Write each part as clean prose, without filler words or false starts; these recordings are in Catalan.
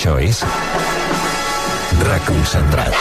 Això és Reconcentrat.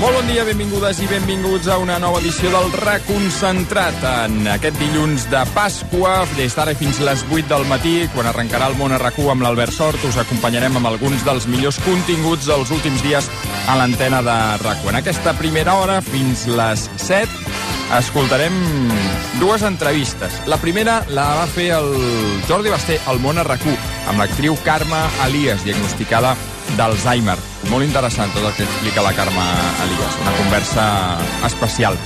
Molt bon dia, benvingudes i benvinguts a una nova edició del Reconcentrat. En aquest dilluns de Pasqua, des d'ara fins les 8 del matí, quan arrencarà el Món a RAC1 amb l'Albert Sort, us acompanyarem amb alguns dels millors continguts dels últims dies a l'antena de RAC1. En aquesta primera hora, fins les 7, escoltarem dues entrevistes. La primera la va fer el Jordi Basté al Món a RAC1, amb l'actriu Carme Elias, diagnosticada d'Alzheimer. Molt interessant tot el que explica la Carme Elias. Una conversa especial.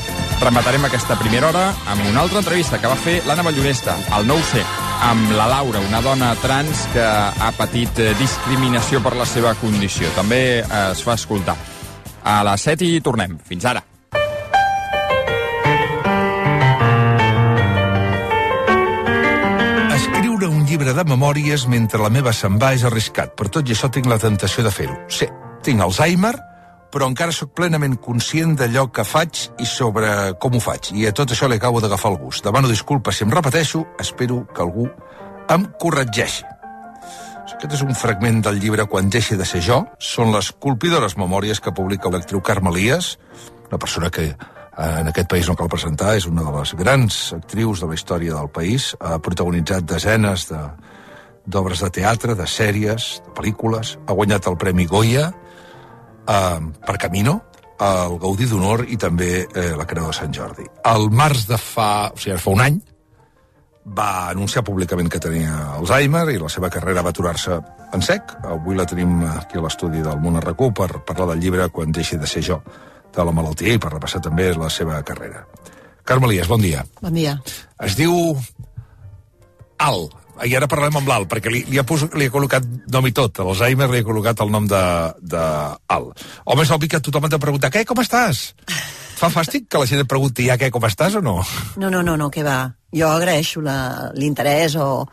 Rematarem aquesta primera hora amb una altra entrevista que va fer l'Anna Ballonesta, al 9C, amb la Laura, una dona trans que ha patit discriminació per la seva condició. També es fa escoltar. A les 7 i tornem. Fins ara. Escriure un llibre de memòries mentre la meva se'n va és arriscat. Per tot i això tinc la tentació de fer-ho. Sí, tinc Alzheimer, però encara sóc plenament conscient d'allò que faig i sobre com ho faig. I a tot això li acabo d'agafar el gust. Demano disculpes si em repeteixo, espero que algú em corregeixi. Aquest és un fragment del llibre Quan deixi de ser jo. Són les colpidores memòries que publica l'actriu Carme Elias, una persona que en aquest país no cal presentar, és una de les grans actrius de la història del país, ha protagonitzat desenes d'obres de teatre, de sèries, de pel·lícules, ha guanyat el Premi Goya per Camino, el Gaudí d'Honor i també la Creu de Sant Jordi. Al març de fa un any, va anunciar públicament que tenia Alzheimer i la seva carrera va aturar-se en sec. Avui la tenim aquí a l'estudi del Món a RAC1 per parlar del llibre Quan deixi de ser jo, de la malaltia i per repassar també la seva carrera. Carme Elias, bon dia. Bon dia. Es diu Al, i ara parlem amb l'Al, perquè li he col·locat nom i tot. A l'Alzheimer li he col·locat el nom d'Al. Home, és obvi que tothom ha de preguntar, què, com estàs? Fa fàstic que la gent et pregunti ja què, com estàs o no? No, què va. Jo agraeixo l'interès o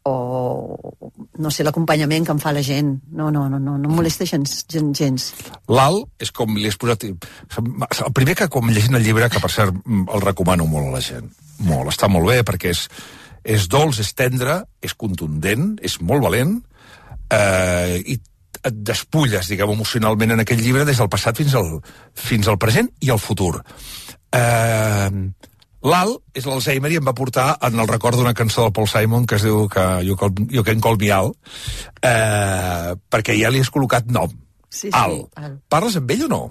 no sé, l'acompanyament que em fa la gent. No em molesta gens. L'Al és com li has posat... El primer que quan llegint el llibre, que per cert el recomano molt a la gent, molt, està molt bé perquè és dolç, és tendre, és contundent, és molt valent i et despulles, diguem, emocionalment en aquest llibre des del passat fins al present i al futur. L'Al és l'Alzheimer i em va portar en el record d'una cançó del Paul Simon que es diu You Can Call Me Al, perquè ja li has col·locat nom. Sí, Al. Parles amb ell o no?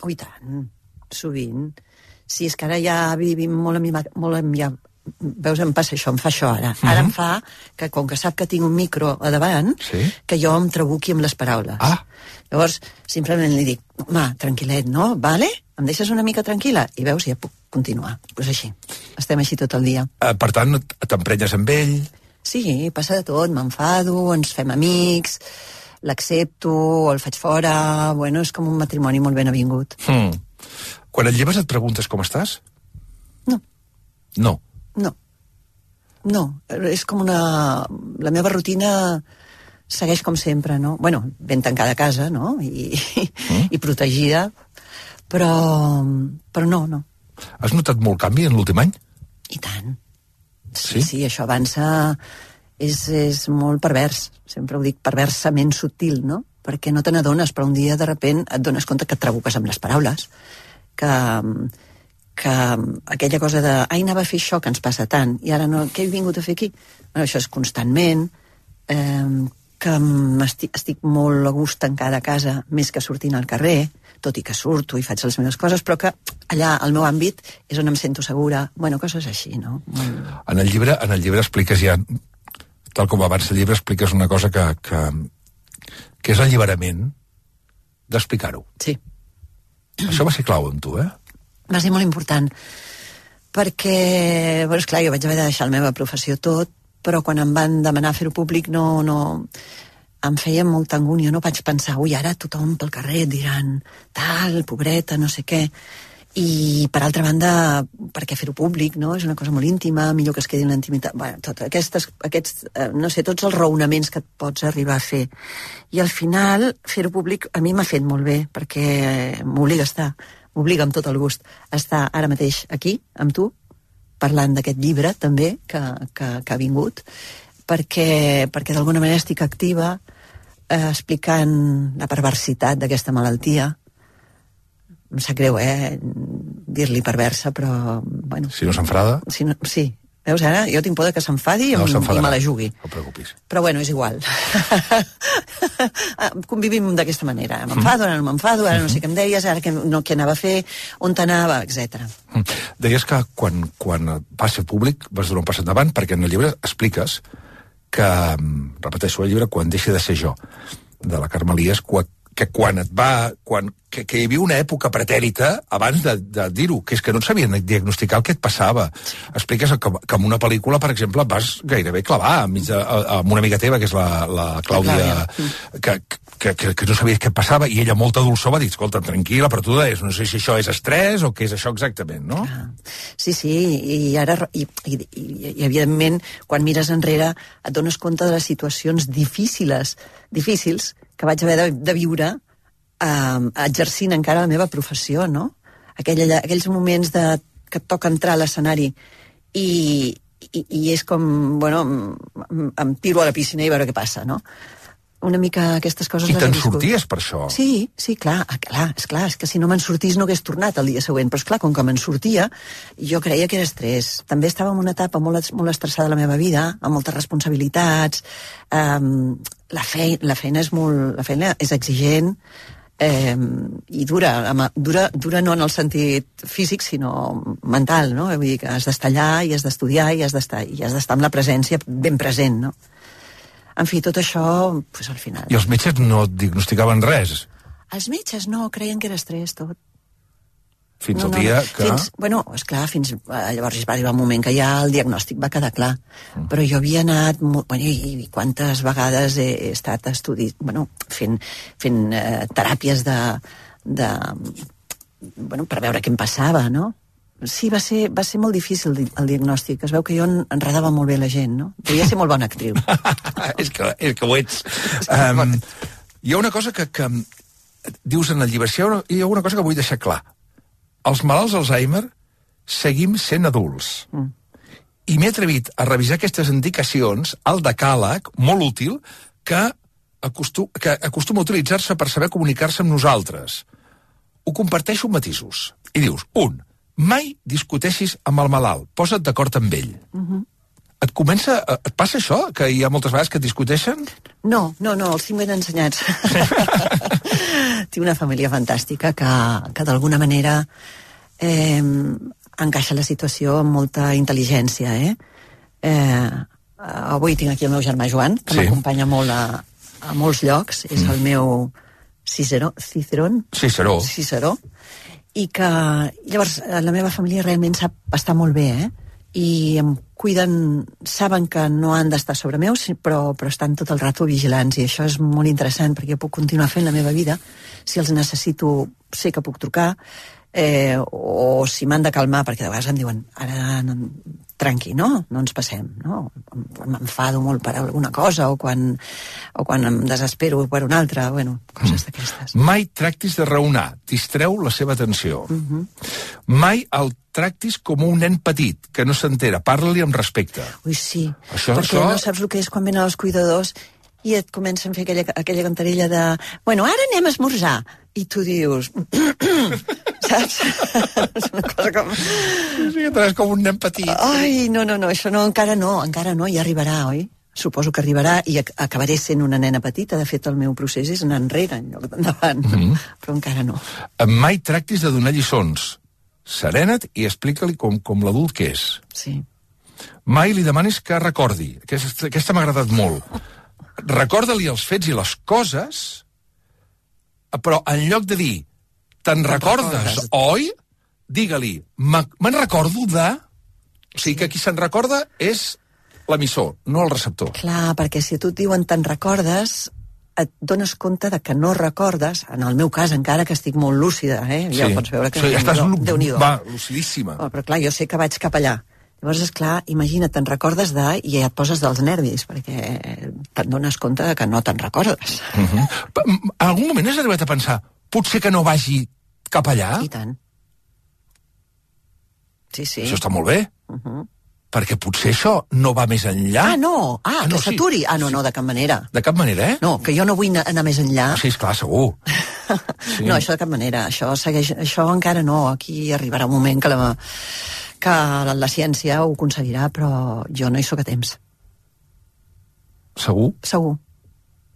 I tant, sovint. Sí, és que ara ja vivim molt amb ja... Veus, em passa això, em fa això ara. Ara em fa que, com que sap que tinc un micro a davant, que jo em trabuqui amb les paraules. Llavors, simplement li dic, home, tranquil·let, no? Vale? Em deixes una mica tranquil·la? I veus, ja puc continuar. Doncs així. Estem així tot el dia. Per tant, t'emprenyes amb ell? Sí, passa de tot. M'enfado, ens fem amics, l'accepto, el faig fora... Bueno, és com un matrimoni molt ben avingut. Quan et lleves et preguntes com estàs? No. No? No, és com la meva rutina segueix com sempre, no? Bueno, ben tancada a casa, no? I protegida, però no. Has notat molt canvi en l'últim any? I tant. Sí, això avança... És molt pervers, sempre ho dic, perversament sutil, no? Perquè no te n'adones, però un dia de sobte et dones compte que et trabuques amb les paraules, que aquella cosa de anava a fer això que ens passa tant i ara no, què he vingut a fer aquí? Bueno, això és constantment, que estic molt a gust tancada a casa més que sortint al carrer, tot i que surto i faig les meves coses, però que allà, al meu àmbit, és on em sento segura. Bueno, coses així, no? En el llibre expliques ja, tal com abans del llibre, expliques una cosa que és l'alliberament d'explicar-ho. Sí. Això va ser clau amb tu, Va ser molt important, perquè, bueno, esclar, jo vaig haver de deixar la meva professió tot, però quan em van demanar fer-ho públic no em feia molta angúnia, no vaig pensar, ui, ara tothom pel carrer et diran tal, pobreta, no sé què, I, per altra banda, perquè fer-ho públic, no? És una cosa molt íntima, millor que es quedi en la intimitat. Bueno, no sé, tots els raonaments que et pots arribar a fer. I al final, fer-ho públic a mi m'ha fet molt bé, perquè m'obliga a estar, m'obliga amb tot el gust a estar ara mateix aquí, amb tu, parlant d'aquest llibre, també, que ha vingut, perquè d'alguna manera estic activa explicant la perversitat d'aquesta malaltia. Em sap greu, dir-li perversa, però, bueno... Si no s'enfada? Sí. Veus, ara jo tinc por que s'enfadi i me la jugui. No et preocupis. Però, bueno, és igual. Convivim d'aquesta manera. M'enfado, ara no m'enfado, ara no sé què em deies, ara què anava a fer, on t'anava, etc. Deies que quan vas ser públic vas donar un pas endavant, perquè en el llibre expliques que, repeteixo, el llibre Quan deixi de ser jo, de la Carme Elias, que quan que hi havia una època pretèrita abans de dir-ho, que és que no et sabien diagnosticar el que et passava. Expliques que en una pel·lícula, per exemple, vas gairebé clavar amb una amiga teva, que és la Clàudia, que no sabies què et passava, i ella, molta dolçor, va dir, escolta, tranquil·la, però tu deies, no sé si això és estrès o què és això exactament, no? Sí, i ara, i evidentment, quan mires enrere, et dones compte de les situacions difícils que vaig haver de viure exercint encara la meva professió, no? Aquells moments que et toca entrar a l'escenari i és com, bueno, em tiro a la piscina i veure què passa, no? Una mica aquestes coses... I te'n sorties per això? Sí, clar, és que si no me'n sortís no hagués tornat el dia següent, però esclar, com que me'n sortia, jo creia que era estrès. També estava en una etapa molt estressada de la meva vida, amb moltes responsabilitats, la feina és exigent, i dura no en el sentit físic, sinó mental, no? Vull dir que has d'estar allà i has d'estudiar i has d'estar amb la presència ben present, no? En fi, tot això, pues, al final... I els metges no et diagnosticaven res? Els metges no, creien que era estrès, tot. Al dia que... Esclar, llavors va arribar un moment que ja el diagnòstic va quedar clar. Però jo havia anat... i quantes vegades he estat fent teràpies per veure què em passava, no? Sí, va ser molt difícil el diagnòstic. Es veu que jo enredava molt bé la gent, no? Devia ser molt bona actriu. és que ho ets. Hi ha una cosa que dius en el llibre, hi ha una cosa que vull deixar clar. Els malalts d'Alzheimer seguim sent adults. I m'he atrevit a revisar aquestes indicacions al decàleg, molt útil, que acostuma a utilitzar-se per saber comunicar-se amb nosaltres. Ho comparteixo amb matisos. I dius, 1. Mai discuteixis amb el malalt, posa't d'acord amb ell. Et passa això, que hi ha moltes vegades que et discuteixen? No, els tinc ben ensenyats. Tinc una família fantàstica que d'alguna manera encaixa la situació amb molta intel·ligència, Avui tinc aquí el meu germà Joan, que m'acompanya molt a molts llocs, és el meu Ciceró, i que llavors la meva família realment sap estar molt bé, i em cuiden, saben que no han d'estar sobre meu, però estan tot el rato vigilants, i això és molt interessant perquè jo puc continuar fent la meva vida. Si els necessito, sé que puc trucar, o si m'han de calmar, perquè de vegades em diuen ara tranqui, no ens passem, no? M'enfado molt per alguna cosa, o quan em desespero per una altra, coses d'aquestes. Mai tractis de raonar, distreu la seva atenció. Mai el tractis com un nen petit, que no s'entera, parla-li amb respecte. Ui, sí, perquè no saps el que és quan venen els cuidadors i et comencen a fer aquella cantarella de ara anem a esmorzar, i tu dius saps? És una cosa com... Sí, és com un nen petit. Ai, no, això encara no, ja arribarà, oi? Suposo que arribarà i acabaré sent una nena petita. De fet, el meu procés és anar enrere en lloc d'endavant, però encara no. Mai tractis de donar lliçons. Serena't i explica-li com l'adult que és. Sí. Mai li demanis que recordi. Aquesta m'ha agradat molt. Recorda-li els fets i les coses, però en lloc de dir te'n recordes, oi? Digue-li, me'n recordo de... O sigui que qui se'n recorda és l'emissor, no el receptor. Clar, perquè si a tu et diuen te'n recordes, et dones compte de que no recordes, en el meu cas, encara que estic molt lúcida, ja pots veure que Déu-n'hi-do. Va, lucidíssima. Però clar, jo sé que vaig cap allà. Llavors, esclar, imagina't, te'n recordes i et poses dels nervis, perquè te'n dones compte de que no te'n recordes. En algun moment has arribat a pensar, potser que no vagi cap allà? I tant. Sí. Això està molt bé. Perquè potser això no va més enllà. Que s'aturi. No, de cap manera. De cap manera, eh? No, que jo no vull anar més enllà. Sí, esclar, segur. Sí. No, això de cap manera. Això encara no. Aquí arribarà un moment que la ciència ho aconseguirà, però jo no hi soc a temps. Segur? Segur.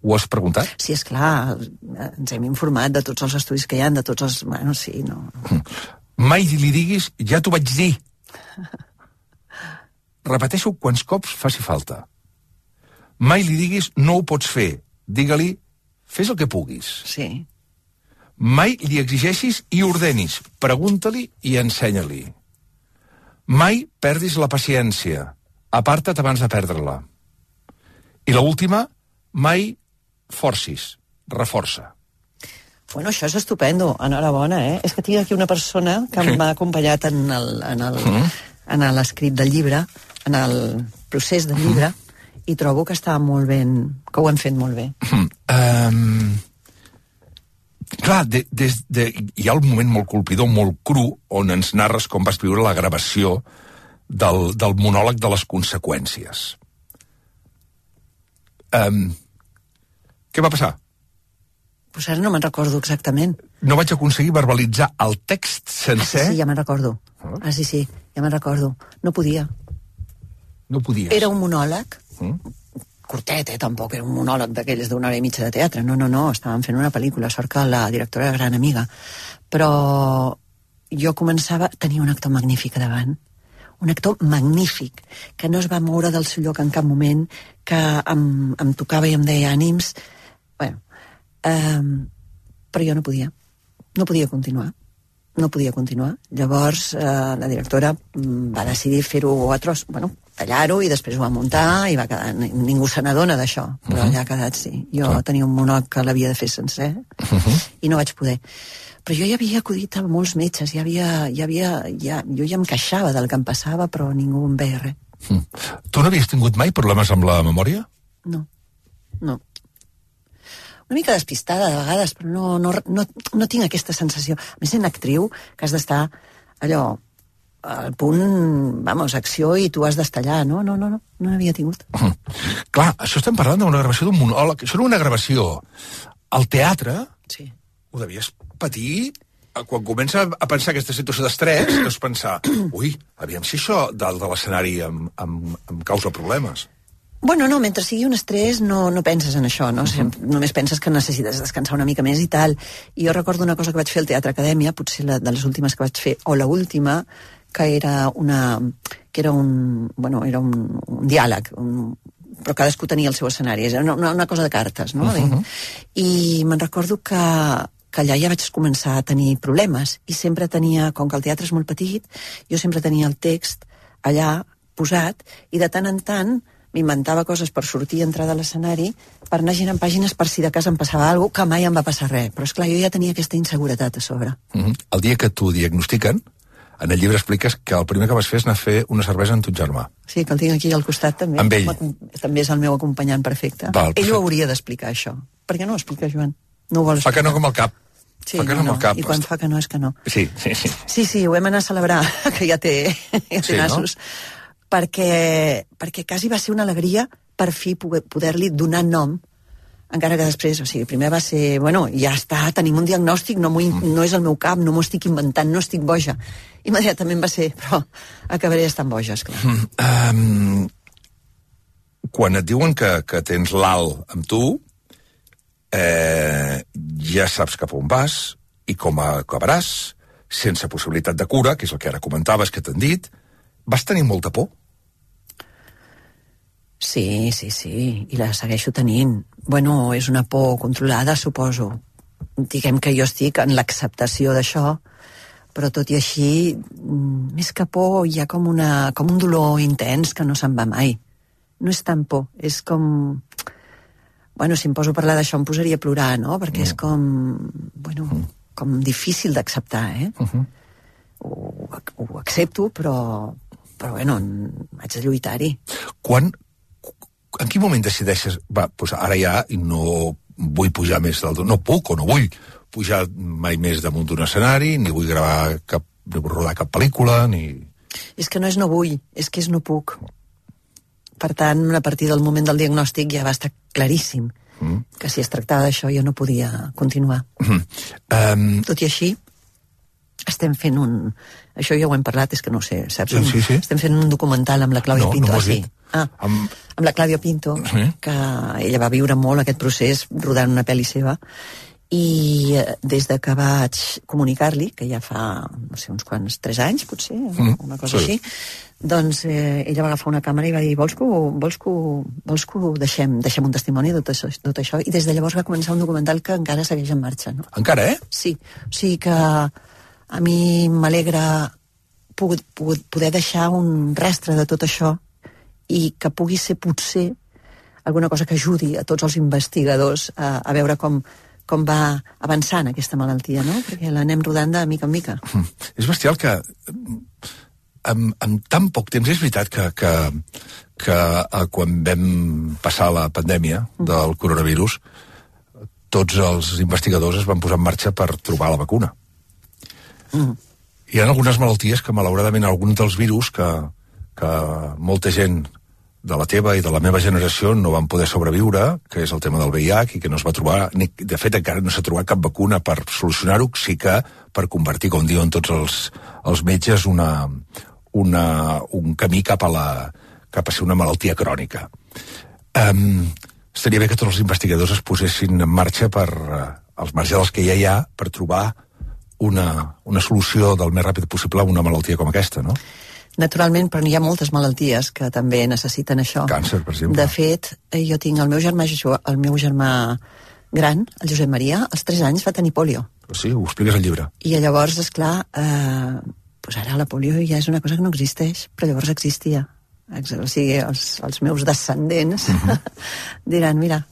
Ho has preguntat? Sí, esclar. Ens hem informat de tots els estudis que hi ha, de tots els... Bueno, sí, no... Mai li diguis, ja t'ho vaig dir. Repeteixo quants cops faci falta. Mai li diguis, no ho pots fer. Digue-li, fes el que puguis. Sí. Mai li exigeixis i ordenis. Pregunta-li i ensenya-li. Mai perdis la paciència. Aparta't abans de perdre-la. I l'última, mai forcis. Reforça. Bueno, això és estupendo. Enhorabona, És que tinc aquí una persona que m'ha acompanyat en l'escrit del llibre, en el procés del llibre, i trobo que està molt ben... que ho hem fet molt bé. Clar, hi ha un moment molt colpidor, molt cru, on ens narres com vas viure la gravació del monòleg de les conseqüències. Què va passar? Pues ara no me'n recordo exactament. No vaig aconseguir verbalitzar el text sencer? Sí, ja me'n recordo. Sí, ja me'n recordo. No podia. No podies? Era un monòleg, curtet, tampoc era un monòleg d'aquells d'una hora i mitja de teatre. No, estàvem fent una pel·lícula, sort que la directora era gran amiga. Però jo començava... Tenia un actor magnífic davant. Un actor magnífic, que no es va moure del seu lloc en cap moment, que em tocava i em deia ànims. Bueno, però jo no podia continuar. Llavors la directora va decidir fer-ho a tros, tallar-ho, i després ho va muntar i va quedar, ningú se n'adona d'això, però allà ha quedat, sí. Jo tenia un monòleg que l'havia de fer sencer i no vaig poder. Però jo ja havia acudit a molts metges, jo ja em queixava del que em passava, però ningú em veia res. Tu no havies tingut mai problemes amb la memòria? No. Una mica despistada de vegades, però no tinc aquesta sensació. A més, sent actriu, que has d'estar allò al punt, acció, i tu has d'estar allà. No n'havia tingut. Clar, això estem parlant d'una gravació d'un monòleg. Això era una gravació. Al teatre, sí. Ho devies patir quan comença a pensar aquesta situació d'estrès, deus pensar, ui, aviam si això dalt de l'escenari em causa problemes. Bueno, no, mentre sigui un estrès no penses en això, no? Només penses que necessites descansar una mica més i tal. I jo recordo una cosa que vaig fer al Teatre Acadèmia, potser de les últimes que vaig fer, o l'última, que era un diàleg, però cadascú tenia el seu escenari, era una cosa de cartes, no? I me'n recordo que allà ja vaig començar a tenir problemes, i sempre tenia, com que el teatre és molt petit, jo sempre tenia el text allà posat, i de tant en tant m'inventava coses per sortir i entrar de l'escenari, per anar girant pàgines per si de cas em passava alguna cosa, que mai em va passar res. Però esclar, jo ja tenia aquesta inseguretat a sobre. El dia que t'ho diagnostiquen, en el llibre expliques que el primer que vas fer és anar a fer una cervesa amb ton germà. Sí, que el tinc aquí al costat també. Amb ell. També és el meu acompanyant perfecte. Ell ho hauria d'explicar, això. Per què no ho explica, Joan? No ho vol explicar. Fa que no com el cap. Sí, i quan fa que no és que no. Sí. Sí, ho vam anar a celebrar, que ja té nassos. No? Perquè quasi va ser una alegria per fi poder-li donar nom, encara que després, primer va ser, ja està, tenim un diagnòstic, no és el meu cap, no m'ho estic inventant, no estic boja. Immediatament va ser, però acabaré estant boja, esclar. Quan et diuen que tens l'alt amb tu, ja saps cap on vas i com acabaràs, sense possibilitat de cura, que és el que ara comentaves, que t'han dit. Vas tenir molta por? Sí, i la segueixo tenint. És una por controlada, suposo. Diguem que jo estic en l'acceptació d'això, però tot i així, més que por, hi ha com un dolor intens que no se'n va mai. No és tan por, és com... Bueno, si em poso a parlar d'això em posaria a plorar, no? Perquè és com... Bueno, com difícil d'acceptar, Ho accepto, però bueno, haig de lluitar-hi. En quin moment decideixes, doncs ara ja no vull pujar més no puc o no vull pujar mai més damunt d'un escenari, ni vull rodar cap pel·lícula, ni... És que no és no vull, és que és no puc. Per tant, a partir del moment del diagnòstic ja va estar claríssim que si es tractava d'això jo no podia continuar. Tot i així, estem fent això ja ho hem parlat, és que no ho sé, saps? Sí. Estem fent un documental amb la Clàudia Pinto. No m'ho has dit. Amb la Clàudia Pinto, que ella va viure molt aquest procés rodant una pel·li seva, i des de que vaig comunicar-li, que ja fa, no sé, uns quants, 3 anys, potser, una cosa així, doncs ella va agafar una càmera i va dir vols que ho deixem un testimoni de tot això, i des de llavors va començar un documental que encara segueix en marxa, no? Encara, Sí, o sigui que a mi m'alegra poder deixar un rastre de tot això i que pugui ser potser alguna cosa que ajudi a tots els investigadors a veure com va avançant aquesta malaltia, no? Perquè l'anem rodant de mica en mica. És bestial que en tan poc temps, és veritat que quan vam passar la pandèmia del coronavirus, tots els investigadors es van posar en marxa per trobar la vacuna. Hi ha algunes malalties que, malauradament, alguns dels virus que molta gent de la teva i de la meva generació no van poder sobreviure, que és el tema del VIH, i que no es va trobar, de fet encara no s'ha trobat cap vacuna per solucionar-ho, sí que per convertir, com diuen tots els metges, un camí cap a ser una malaltia crònica. Estaria bé que tots els investigadors es posessin en marxa als marges dels que ja hi ha, per trobar una solució del més ràpid possible a una malaltia com aquesta, no? Naturalment, però hi ha moltes malalties que també necessiten això. Càncer, per exemple. De fet, jo tinc el meu germà gran, el Josep Maria, als 3 anys va tenir pòlio. Sí, ho expliques al llibre. I llavors, esclar, doncs ara la pòlio ja és una cosa que no existeix, però llavors existia. O sigui, els meus descendents diran, mira...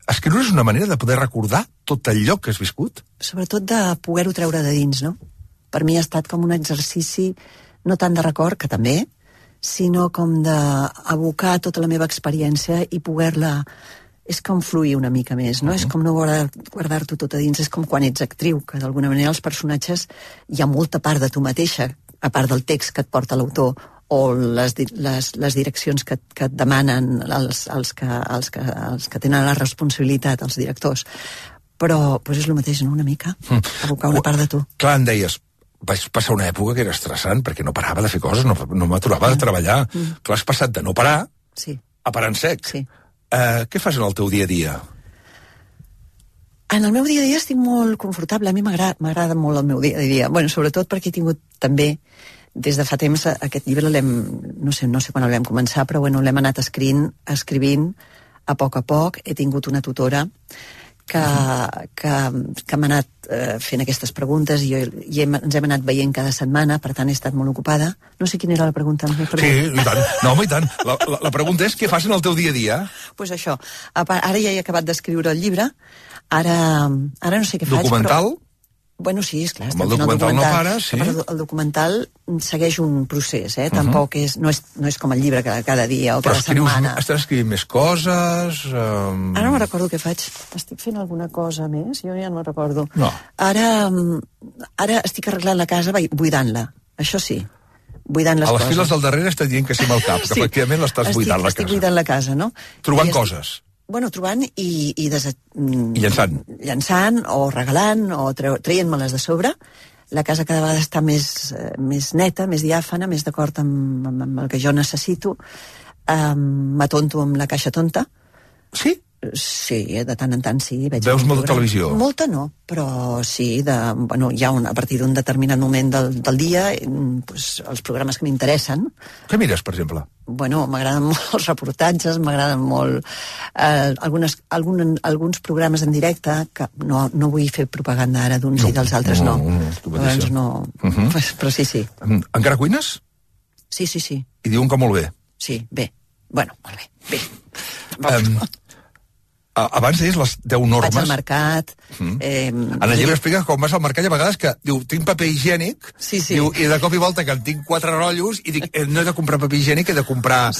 Escriure és una manera de poder recordar tot allò que has viscut? Sobretot de poder-ho treure de dins, no? Per mi ha estat com un exercici, no tant de record, que també, sinó com d'abocar tota la meva experiència i poder-la... És com fluir una mica més, no? És com no guardar-t'ho tot a dins, és com quan ets actriu, que d'alguna manera els personatges hi ha molta part de tu mateixa, a part del text que et porta l'autor, o les direccions que et demanen els que tenen la responsabilitat, els directors. Però és el mateix, no?, una mica, abocar una part de tu. Clar, em deies, vaig passar una època que era estressant perquè no parava de fer coses, no m'aturava de treballar. Clar, has passat de no parar a parar en sec. Sí. Què fas en el teu dia a dia? En el meu dia a dia estic molt confortable. A mi m'agrada molt el meu dia a dia. Bueno, sobretot perquè he tingut també, des de fa temps, aquest llibre no sé quan el vam començar, però bueno, l'hem anat escrivint a poc. He tingut una tutora que m'ha anat fent aquestes preguntes i ens hem anat veient cada setmana, per tant he estat molt ocupada. No sé quina era la pregunta. Sí, i tant. No, home, i tant. La pregunta és què fas en el teu dia a dia? Doncs això. Ara ja he acabat d'escriure el llibre. Ara no sé què faig, documental? però... Bueno, sí, esclar. Amb el documental no pares, sí. El documental segueix un procés, tampoc no és com el llibre cada dia o cada setmana. Però estàs escrivint més coses... Ara no me'n recordo què faig. Estic fent alguna cosa més? Jo ja no me'n recordo. No. Ara estic arreglant la casa, buidant-la. Això sí. Buidant les coses. A les files del darrere estàs dient que sí amb el cap, que efectivament l'estàs buidant la casa. Estic buidant la casa, no? Trobant coses. Bueno, trobant i llançant. Llançant o regalant o traient-me-les de sobre. La casa cada vegada està més neta, més diàfana, més d'acord amb el que jo necessito. M'atonto amb la caixa tonta. Sí? Sí, de tant en tant sí. Veus molta televisió? Molta no, però sí, hi ha a partir d'un determinat moment del dia els programes que m'interessen. Què mires, per exemple? Bueno, m'agraden molt els reportatges, m'agraden molt alguns programes en directe, que no vull fer propaganda ara d'uns i dels altres, no. Llavors no, però sí. Encara cuines? Sí. I diuen que molt bé. Sí, bé. Bueno, molt bé. Abans deies les 10 normes. Vaig al mercat. En el llibre explica com vas al mercat i a vegades que diu, tinc paper higiènic, diu, i de cop i volta que en tinc 4 rotllos i dic, no he de comprar paper higiènic, he de comprar,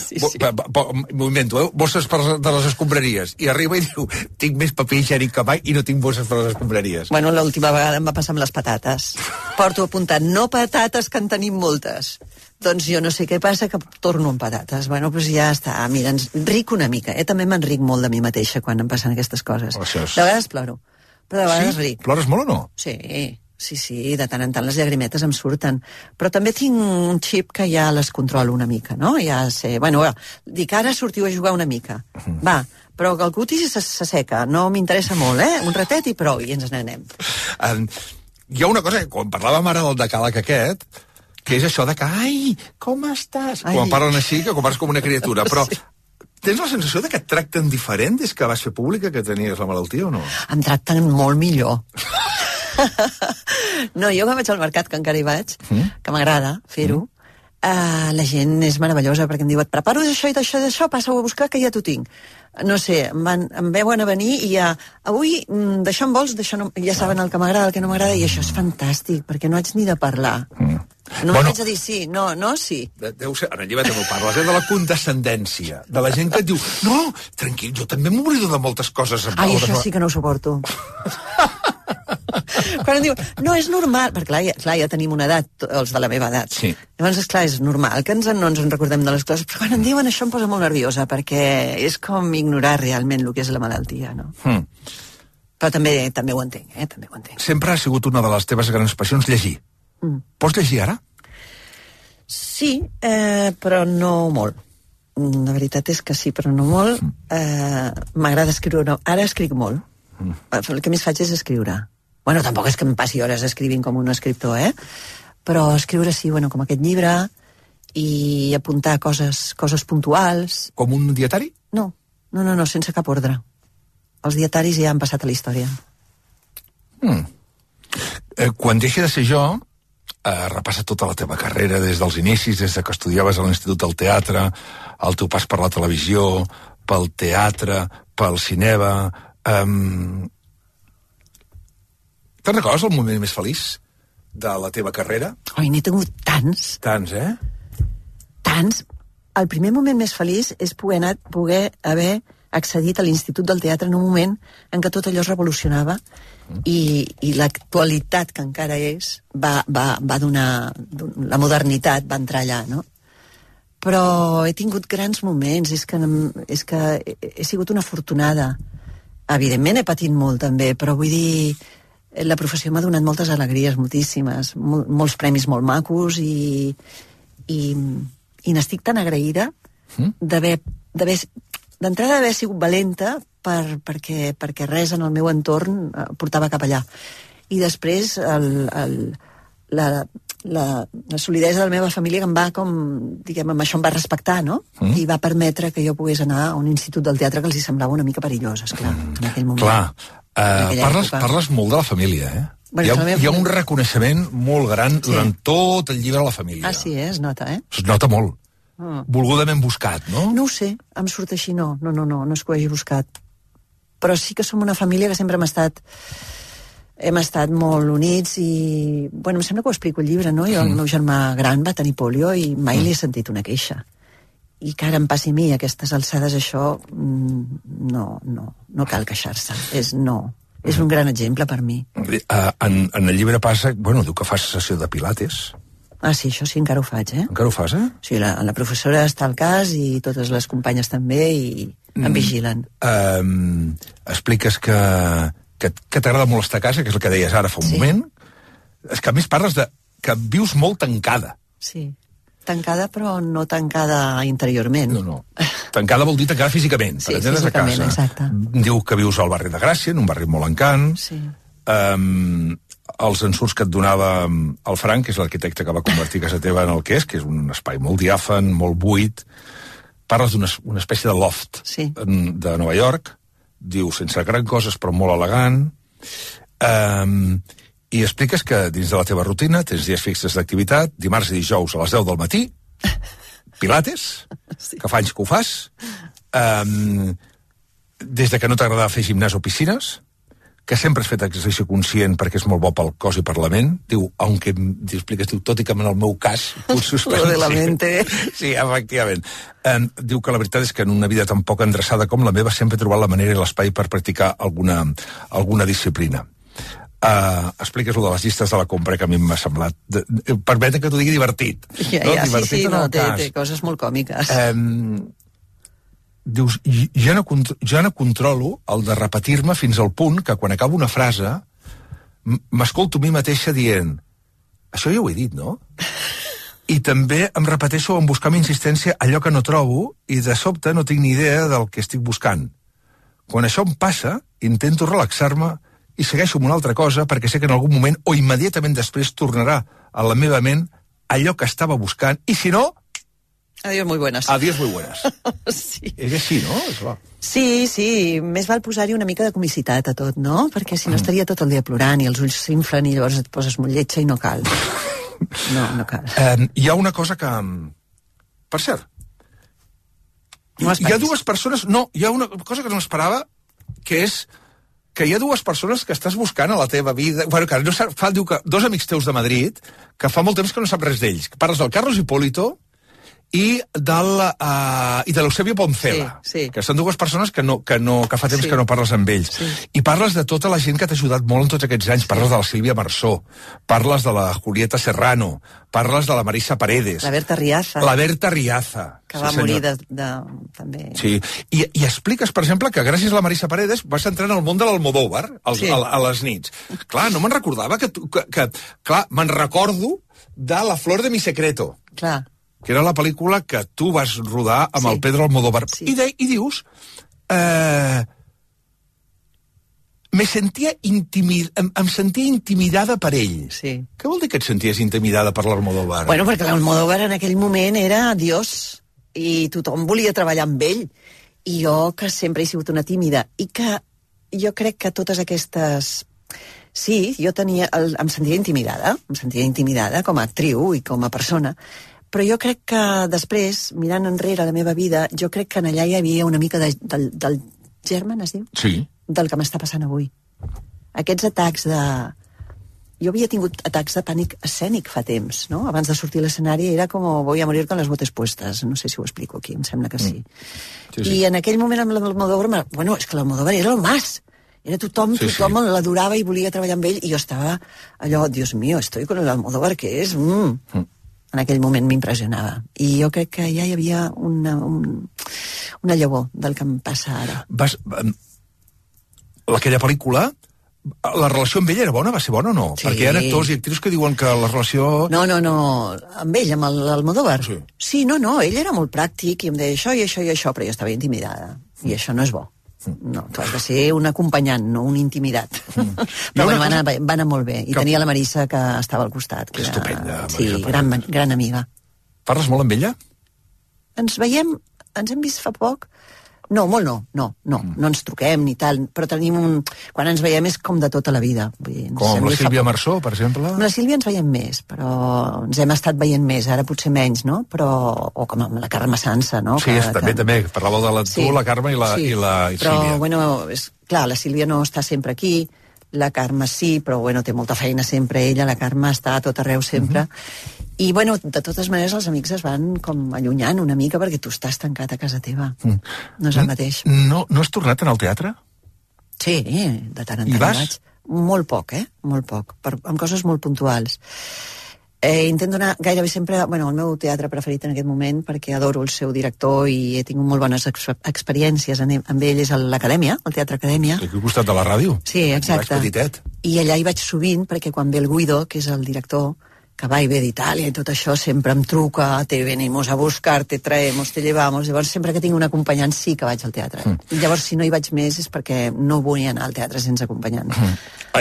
m'ho invento, bosses de les escombraries. I arriba i diu, tinc més paper higiènic que mai i no tinc bosses per les escombraries. Bueno, l'última vegada em va passar amb les patates. Porto apuntat, no patates, que en tenim moltes. Doncs jo no sé què passa, que torno amb patates. Bueno, doncs ja està. Mira, ric una mica. També m'enric molt de mi mateixa quan em passen aquestes coses. De vegades ploro, però de vegades ric. Plores molt o no? Sí, de tant en tant les llagrimetes em surten. Però també tinc un xip que ja les controlo una mica, no? Ja sé, bueno, dic, ara sortiu a jugar una mica. Va, però que el cutis s'asseca, no m'interessa molt, un ratet i prou, i ens n'anem. Hi ha una cosa, quan parlàvem ara del decàleg aquest, que és això de que, ai, com estàs? Quan parlen així, que com parles com una criatura, però tens la sensació de que et tracten diferent des que vas fer pública que tenies la malaltia o no? Em tracten molt millor. No, jo quan vaig al mercat, que encara hi vaig, que m'agrada fer-ho, la gent és meravellosa, perquè em diu, et preparo d'això i d'això, passa-ho a buscar, que ja t'ho tinc. No sé, em veuen a venir i ja, avui, d'això en vols, d'això no, ja saben el que m'agrada, el que no m'agrada, i això és fantàstic, perquè no haig ni de parlar. No haig de dir sí, no, sí. Deu ser, en el llibre també ho parles, de la condescendència, de la gent que et diu, no, tranquil, jo també m'oblido de moltes coses. Ai, això sí que no ho suporto. Quan em diu, no, és normal, perquè clar, ja tenim una edat, els de la meva edat. Sí. Llavors, esclar, és normal que no ens en recordem de les coses, però quan em diuen això em posa molt nerviosa, perquè és com ignorar realment el que és la malaltia, no? Però també ho entenc, també ho entenc. Sempre ha sigut una de les teves grans passions llegir. Pots llegir ara? Sí, però no molt. La veritat és que sí, però no molt. M'agrada escriure. Ara escric molt. El que més faig és escriure. Bueno, tampoc és que em passi hores escrivint com un escriptor, però escriure sí, bueno, com aquest llibre, i apuntar coses puntuals. Com un dietari? No, sense cap ordre. Els dietaris ja han passat a la història. Quan deixi de ser jo, repassa tota la teva carrera des dels inicis, des que estudiaves a l'Institut del Teatre, el teu pas per la televisió, pel teatre, pel cinema. Te'n recordes el moment més feliç de la teva carrera? Oi, n'he tingut tants. Tants, Tants. El primer moment més feliç és poder haver accedit a l'Institut del Teatre en un moment en què tot allò es revolucionava i l'actualitat que encara és va donar... La modernitat va entrar allà, no? Però he tingut grans moments, és que he sigut una afortunada. Evidentment he patit molt també, però vull dir, la professió m'ha donat moltes alegries, moltíssimes, molts premis molt macos i n'estic tan agraïda d'entrada d'haver sigut valenta perquè res en el meu entorn portava cap allà. I després la solidesa de la meva família que em va amb això em va respectar, no? I va permetre que jo pogués anar a un institut del teatre que els hi semblava una mica perillós, esclar, en aquell moment. Parles molt de la família, Bueno, hi ha un reconeixement molt gran durant tot el llibre a la família. Ah, sí, es nota, Es nota molt. Volgudament buscat, no? No ho sé, em surt així, no és que ho hagi buscat. Però sí que som una família que sempre hem estat molt units i... Bueno, em sembla que ho explico al llibre, no? El meu germà gran va tenir pòlio i mai li he sentit una queixa. I que ara em passi a mi, a aquestes alçades, això no cal queixar-se. És un gran exemple per mi. En el llibre passa... Bueno, diu que fas sessió de pilates. Ah, sí, això sí, encara ho faig, Encara ho fas, Sí, la professora està al cas i totes les companyes també i em vigilen. Expliques que t'agrada molt estar a casa, que és el que deies ara fa un moment. És que a més parles que vius molt tancada. Sí, tancada però no tancada interiorment. No. Tancada vol dir tancada físicament, per entendre's a casa. Exacte. Diu que vius al barri de Gràcia, en un barri molt encant. Sí. Els ensurts que et donava el Frank, que és l'arquitecte que va convertir casa teva en el que és un espai molt diàfan, molt buit. Parles d'una espècie de loft de Nova York. Diu, sense gran coses, però molt elegant. I expliques que dins de la teva rutina tens dies fixes d'activitat, dimarts i dijous a les 10 del matí, pilates, que fa anys que ho fas, des de que no t'agradava fer gimnàs o piscines, que sempre has fet exercici conscient perquè és molt bo pel cos i per la ment. Diu, aunque expliques, tot i que en el meu cas... Lo de la mente. Sí, efectivament. Diu que la veritat és que en una vida tan poc endreçada com la meva sempre he trobat la manera i l'espai per practicar alguna disciplina. Expliques lo de les llistes de la compra, que a mi m'ha semblat... Permeten que t'ho digui divertit. Ja, sí, té coses molt còmiques. Dius, ja no controlo el de repetir-me fins al punt que quan acabo una frase m'escolto a mi mateixa dient això ja ho he dit, no? I també em repeteixo en buscar amb insistència allò que no trobo i de sobte no tinc ni idea del que estic buscant. Quan això em passa, intento relaxar-me i segueixo amb una altra cosa perquè sé que en algun moment o immediatament després tornarà a la meva ment allò que estava buscant i si no... Adiós muy buenas. Adiós muy buenas. Sí. És així, no? Sí. Més val posar-hi una mica de comicitat a tot, no? Perquè si no estaria tot el dia plorant i els ulls s'inflen i llavors et poses molt lletja i no cal. No cal. Hi ha una cosa que... Per cert, hi ha dues persones... No, hi ha una cosa que no esperava, que és que hi ha dues persones que estàs buscant a la teva vida... Bueno, que no fa, diu que dos amics teus de Madrid, que fa molt temps que no sap res d'ells. Parles del Carlos Hipólito i de l'Eusebio Poncela, sí. Que són dues persones que fa temps que no parles amb ells. Sí. I parles de tota la gent que t'ha ajudat molt en tots aquests anys. Parles de la Sílvia Marsó, parles de la Julieta Serrano, parles de la Marisa Paredes. La Berta Riaza. Que va morir també. Sí, i expliques, per exemple, que gràcies a la Marisa Paredes vas entrar en el món de l'Almodóvar a les nits. Clar, no me'n recordava clar, me'n recordo de La flor de mi secreto. Clar. Que era la pel·lícula que tu vas rodar amb el Pedro Almodóvar. Sí. I dius... em sentia intimidada per ell. Sí. Què vol dir que et senties intimidada per l'Almodóvar? Bueno, perquè l'Almodóvar en aquell moment era Dios, i tothom volia treballar amb ell. I jo, que sempre he sigut una tímida, i que jo crec que totes aquestes... Sí, jo em sentia intimidada com a actriu i com a persona, però jo crec que després, mirant enrere la meva vida, jo crec que en allà hi havia una mica del germen, es diu? Sí. Del que m'està passant avui. Aquests atacs de... Jo havia tingut atacs de pànic escènic fa temps, no? Abans de sortir a l'escenari era com voy a morir con las botes puestas. No sé si ho explico aquí, em sembla que sí. Sí. I en aquell moment amb l'Almodóvar... Bueno, és que l'Almodóvar era el mas. Era tothom l'adorava i volia treballar amb ell, i jo estava allò, Dios mío, estoy con el Almodóvar, que és... En aquell moment m'impressionava. I jo crec que ja hi havia una llavor del que em passa ara. Aquella pel·lícula, la relació amb ell era bona? Va ser bona o no? Sí. Perquè hi ha actors i actrius que diuen que la relació... No. Amb ell, amb l'Almodóvar. Sí, no, ell era molt pràctic i em deia això i això i això, però jo estava intimidada. I això no és bo. No, tu has de ser un acompanyant, no un intimidat. Però bueno, va anar molt bé. I tenia la Marisa, que estava al costat. Que estupenda. Sí, gran amiga. Parles molt amb ella? Ens hem vist fa poc. No, molt no ens truquem ni tal, però tenim quan ens veiem és com de tota la vida. Vull dir, com amb la Sílvia Marsó, per exemple? Amb la Sílvia ens veiem més, però ens hem estat veient més, ara potser menys, no? O com amb la Carme Sansa, no? Sí, també, parlàveu de tu, la Carme i la Sílvia. Però, bueno, clar, la Sílvia no està sempre aquí, la Carme sí, però, bueno, té molta feina sempre ella, la Carme està a tot arreu sempre, i, bueno, de totes maneres els amics es van com allunyant una mica perquè tu estàs tancat a casa teva. No és el mateix. No has tornat en el teatre? Sí, de tant en tant. I vas? Vaig. Molt poc, molt poc, amb coses molt puntuals. Intento anar gairebé sempre, bueno, al meu teatre preferit en aquest moment, perquè adoro el seu director i he tingut molt bones experiències amb ell, és l'Acadèmia, el Teatre Acadèmia. Aquí al costat de la ràdio. Sí, exacte. I allà hi vaig sovint, perquè quan ve el Guido, que és el director, que va i ve d'Itàlia i tot això, sempre em truca, te venimos a buscar, te traemos, te llevamos, llavors sempre que tinc un acompanyant sí que vaig al teatre. I llavors si no hi vaig més és perquè no vull anar al teatre sense acompanyant.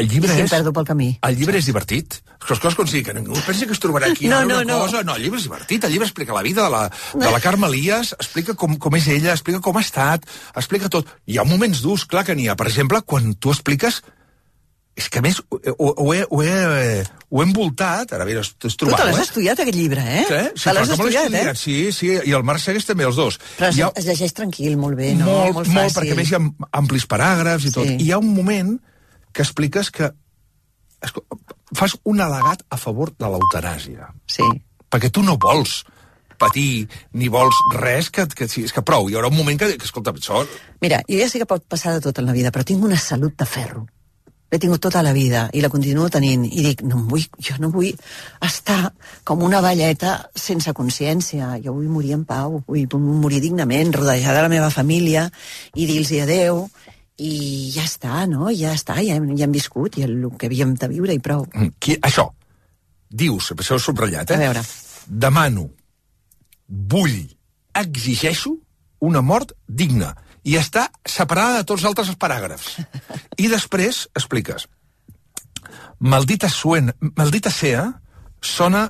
El llibre I si em perdo pel camí. El llibre és divertit? Les coses com sigui, que ningú pensi que es trobarà aquí cosa. No, el llibre és divertit, el llibre explica la vida de la Carme Elias, explica com és ella, explica com ha estat, explica tot. Hi ha moments durs, clar que n'hi ha. Per exemple, quan tu expliques És que, a més, ho he envoltat. Ara, mira, t'has trobat, Tu te l'has estudiat, aquest llibre, eh? Sí, te l'has estudiat, eh? Sí, i el Marc segueix també, els dos. Però es llegeix tranquil, molt bé, no? Molt fàcil. Perquè a més hi ha amplis paràgrafs i tot. I hi ha un moment que expliques que fas un al·legat a favor de l'eutanàsia. Sí. Perquè tu no vols patir ni vols res, és que prou. Hi haurà un moment que escolta, això... Mira, jo ja sé que pot passar de tot en la vida, però tinc una salut de ferro. L'he tingut tota la vida i la continuo tenint. I dic, jo no vull estar com una velleta sense consciència. Jo vull morir en pau, vull morir dignament, rodejada de la meva família i dir-los adeu. I ja està, no? Ja està, ja hem viscut i el que havíem de viure i prou. Això, dius, això ho he subratllat, A veure. Demano, vull, exigeixo una mort digna. I està separada de tots els altres paràgrafs. I després expliques. Maldita sea sona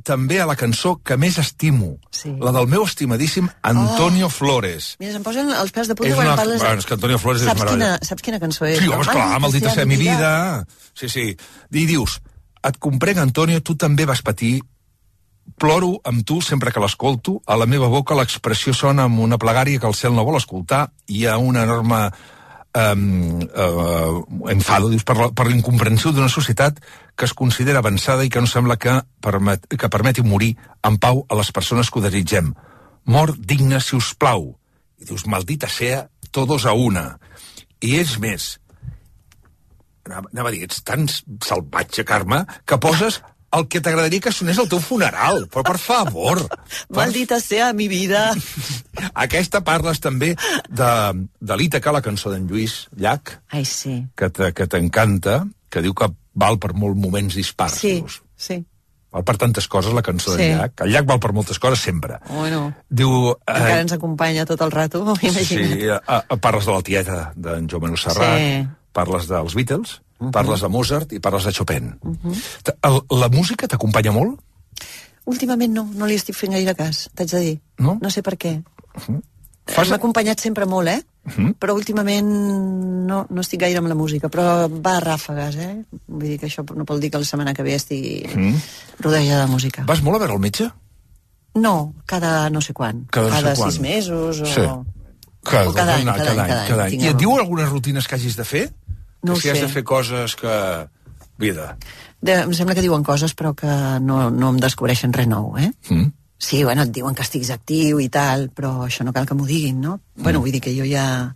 també a la cançó que més estimo, la del meu estimadíssim Antonio Flores. Mira, se'm posen els pèls de punta quan parles... És que Antonio Flores és meravellós. Saps quina cançó és? Sí, home, esclar, Maldita sea mi vida. Sí. I dius, et comprenc, Antonio, tu també vas patir. Ploro amb tu sempre que l'escolto. A la meva boca l'expressió sona amb una plegària que el cel no vol escoltar. Hi ha una enorme enfado, dius, per l'incomprensió d'una societat que es considera avançada i que no sembla que permeti morir en pau a les persones que ho desitgem. Mort digna, si us plau. I dius, maldita sea, todos a una. I és més, anava a dir, ets tan salvatge, Carme, que poses el que t'agradaria que sonés al teu funeral. Però, per favor. Maldita sea mi vida. Aquesta parles també de l'Ítaca, la cançó d'en Lluís Llach. Ai, sí. Que t'encanta, que diu que val per molts moments dispars. Sí. Val per tantes coses, la cançó d'en Llach. El Llach val per moltes coses, sempre. Bueno, diu, encara ens acompanya tot el rato, imagina't. Sí, parles de la tieta d'en Joan Manuel Serrat, parles dels Beatles, parles de Mozart i parles de Chopin. La música t'acompanya molt? Últimament no li estic fent gaire cas, t'haig de dir. No? No sé per què. M'ha acompanyat sempre molt, però últimament no estic gaire amb la música, però va a ràfegues, Vull dir que això no vol dir que la setmana que ve estigui rodejada de música. Vas molt a veure el metge? No, cada no sé quan. Cada 6 mesos o... Sí. Cada any. I et diu algunes rutines que hagis de fer? No ho sé. Si has de fer coses que... Vida. Em sembla que diuen coses, però que no em descobreixen res nou, Sí, bueno, et diuen que estiguis actiu i tal, però això no cal que m'ho diguin, no? Bueno, vull dir que jo ja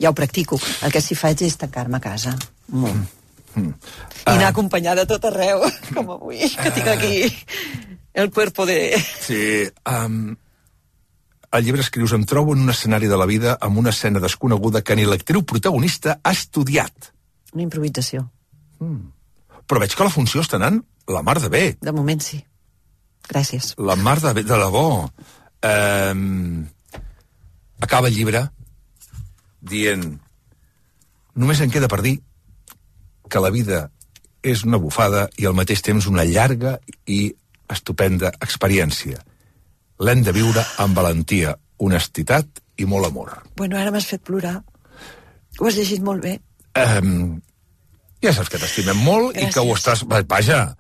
ho practico. El que sí faig és tancar-me a casa. Molt. I anar acompanyada a tot arreu, com avui, que tinc aquí el cuerpo de... Sí, al llibre escrius, em trobo en un escenari de la vida amb una escena desconeguda que ni l'actriu protagonista ha estudiat. Una improvisació. Però veig que la funció està anant la mar de bé. De moment sí. Gràcies. La mar de bé, de debò. Acaba el llibre dient, només em queda per dir que la vida és una bufada i al mateix temps una llarga i estupenda experiència. L'hem de viure amb valentia, honestitat i molt amor. Bueno, ara m'has fet plorar. Ho has llegit molt bé. Ja saps que t'estimem molt. Gràcies. I que ho estàs... Vaja,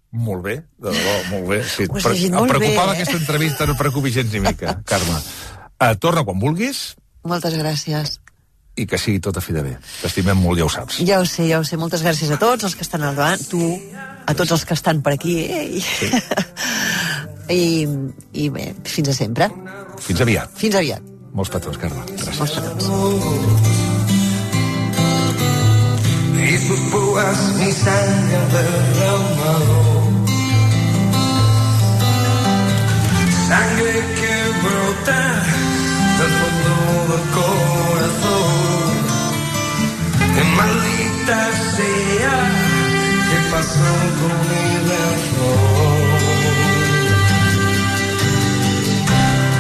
molt bé, de debò, molt bé. Sí, ho has llegit molt bé. Em preocupava aquesta entrevista, no et preocupi gens ni mica, Carme. Torna quan vulguis. Moltes gràcies. I que sigui tot a fi de bé. T'estimem molt, ja ho saps. Ja ho sé. Moltes gràcies a tots els que estan al davant, tu, a tots els que estan per aquí. Sí. I bé, fins a sempre. Fins aviat. Fins aviat. Molts petons, Carme. Gràcies. Molts petons. Y sus púas mi sangre derramado, sangre que brota del fondo del corazón. Que maldita sea, ¿qué pasó con mi razón?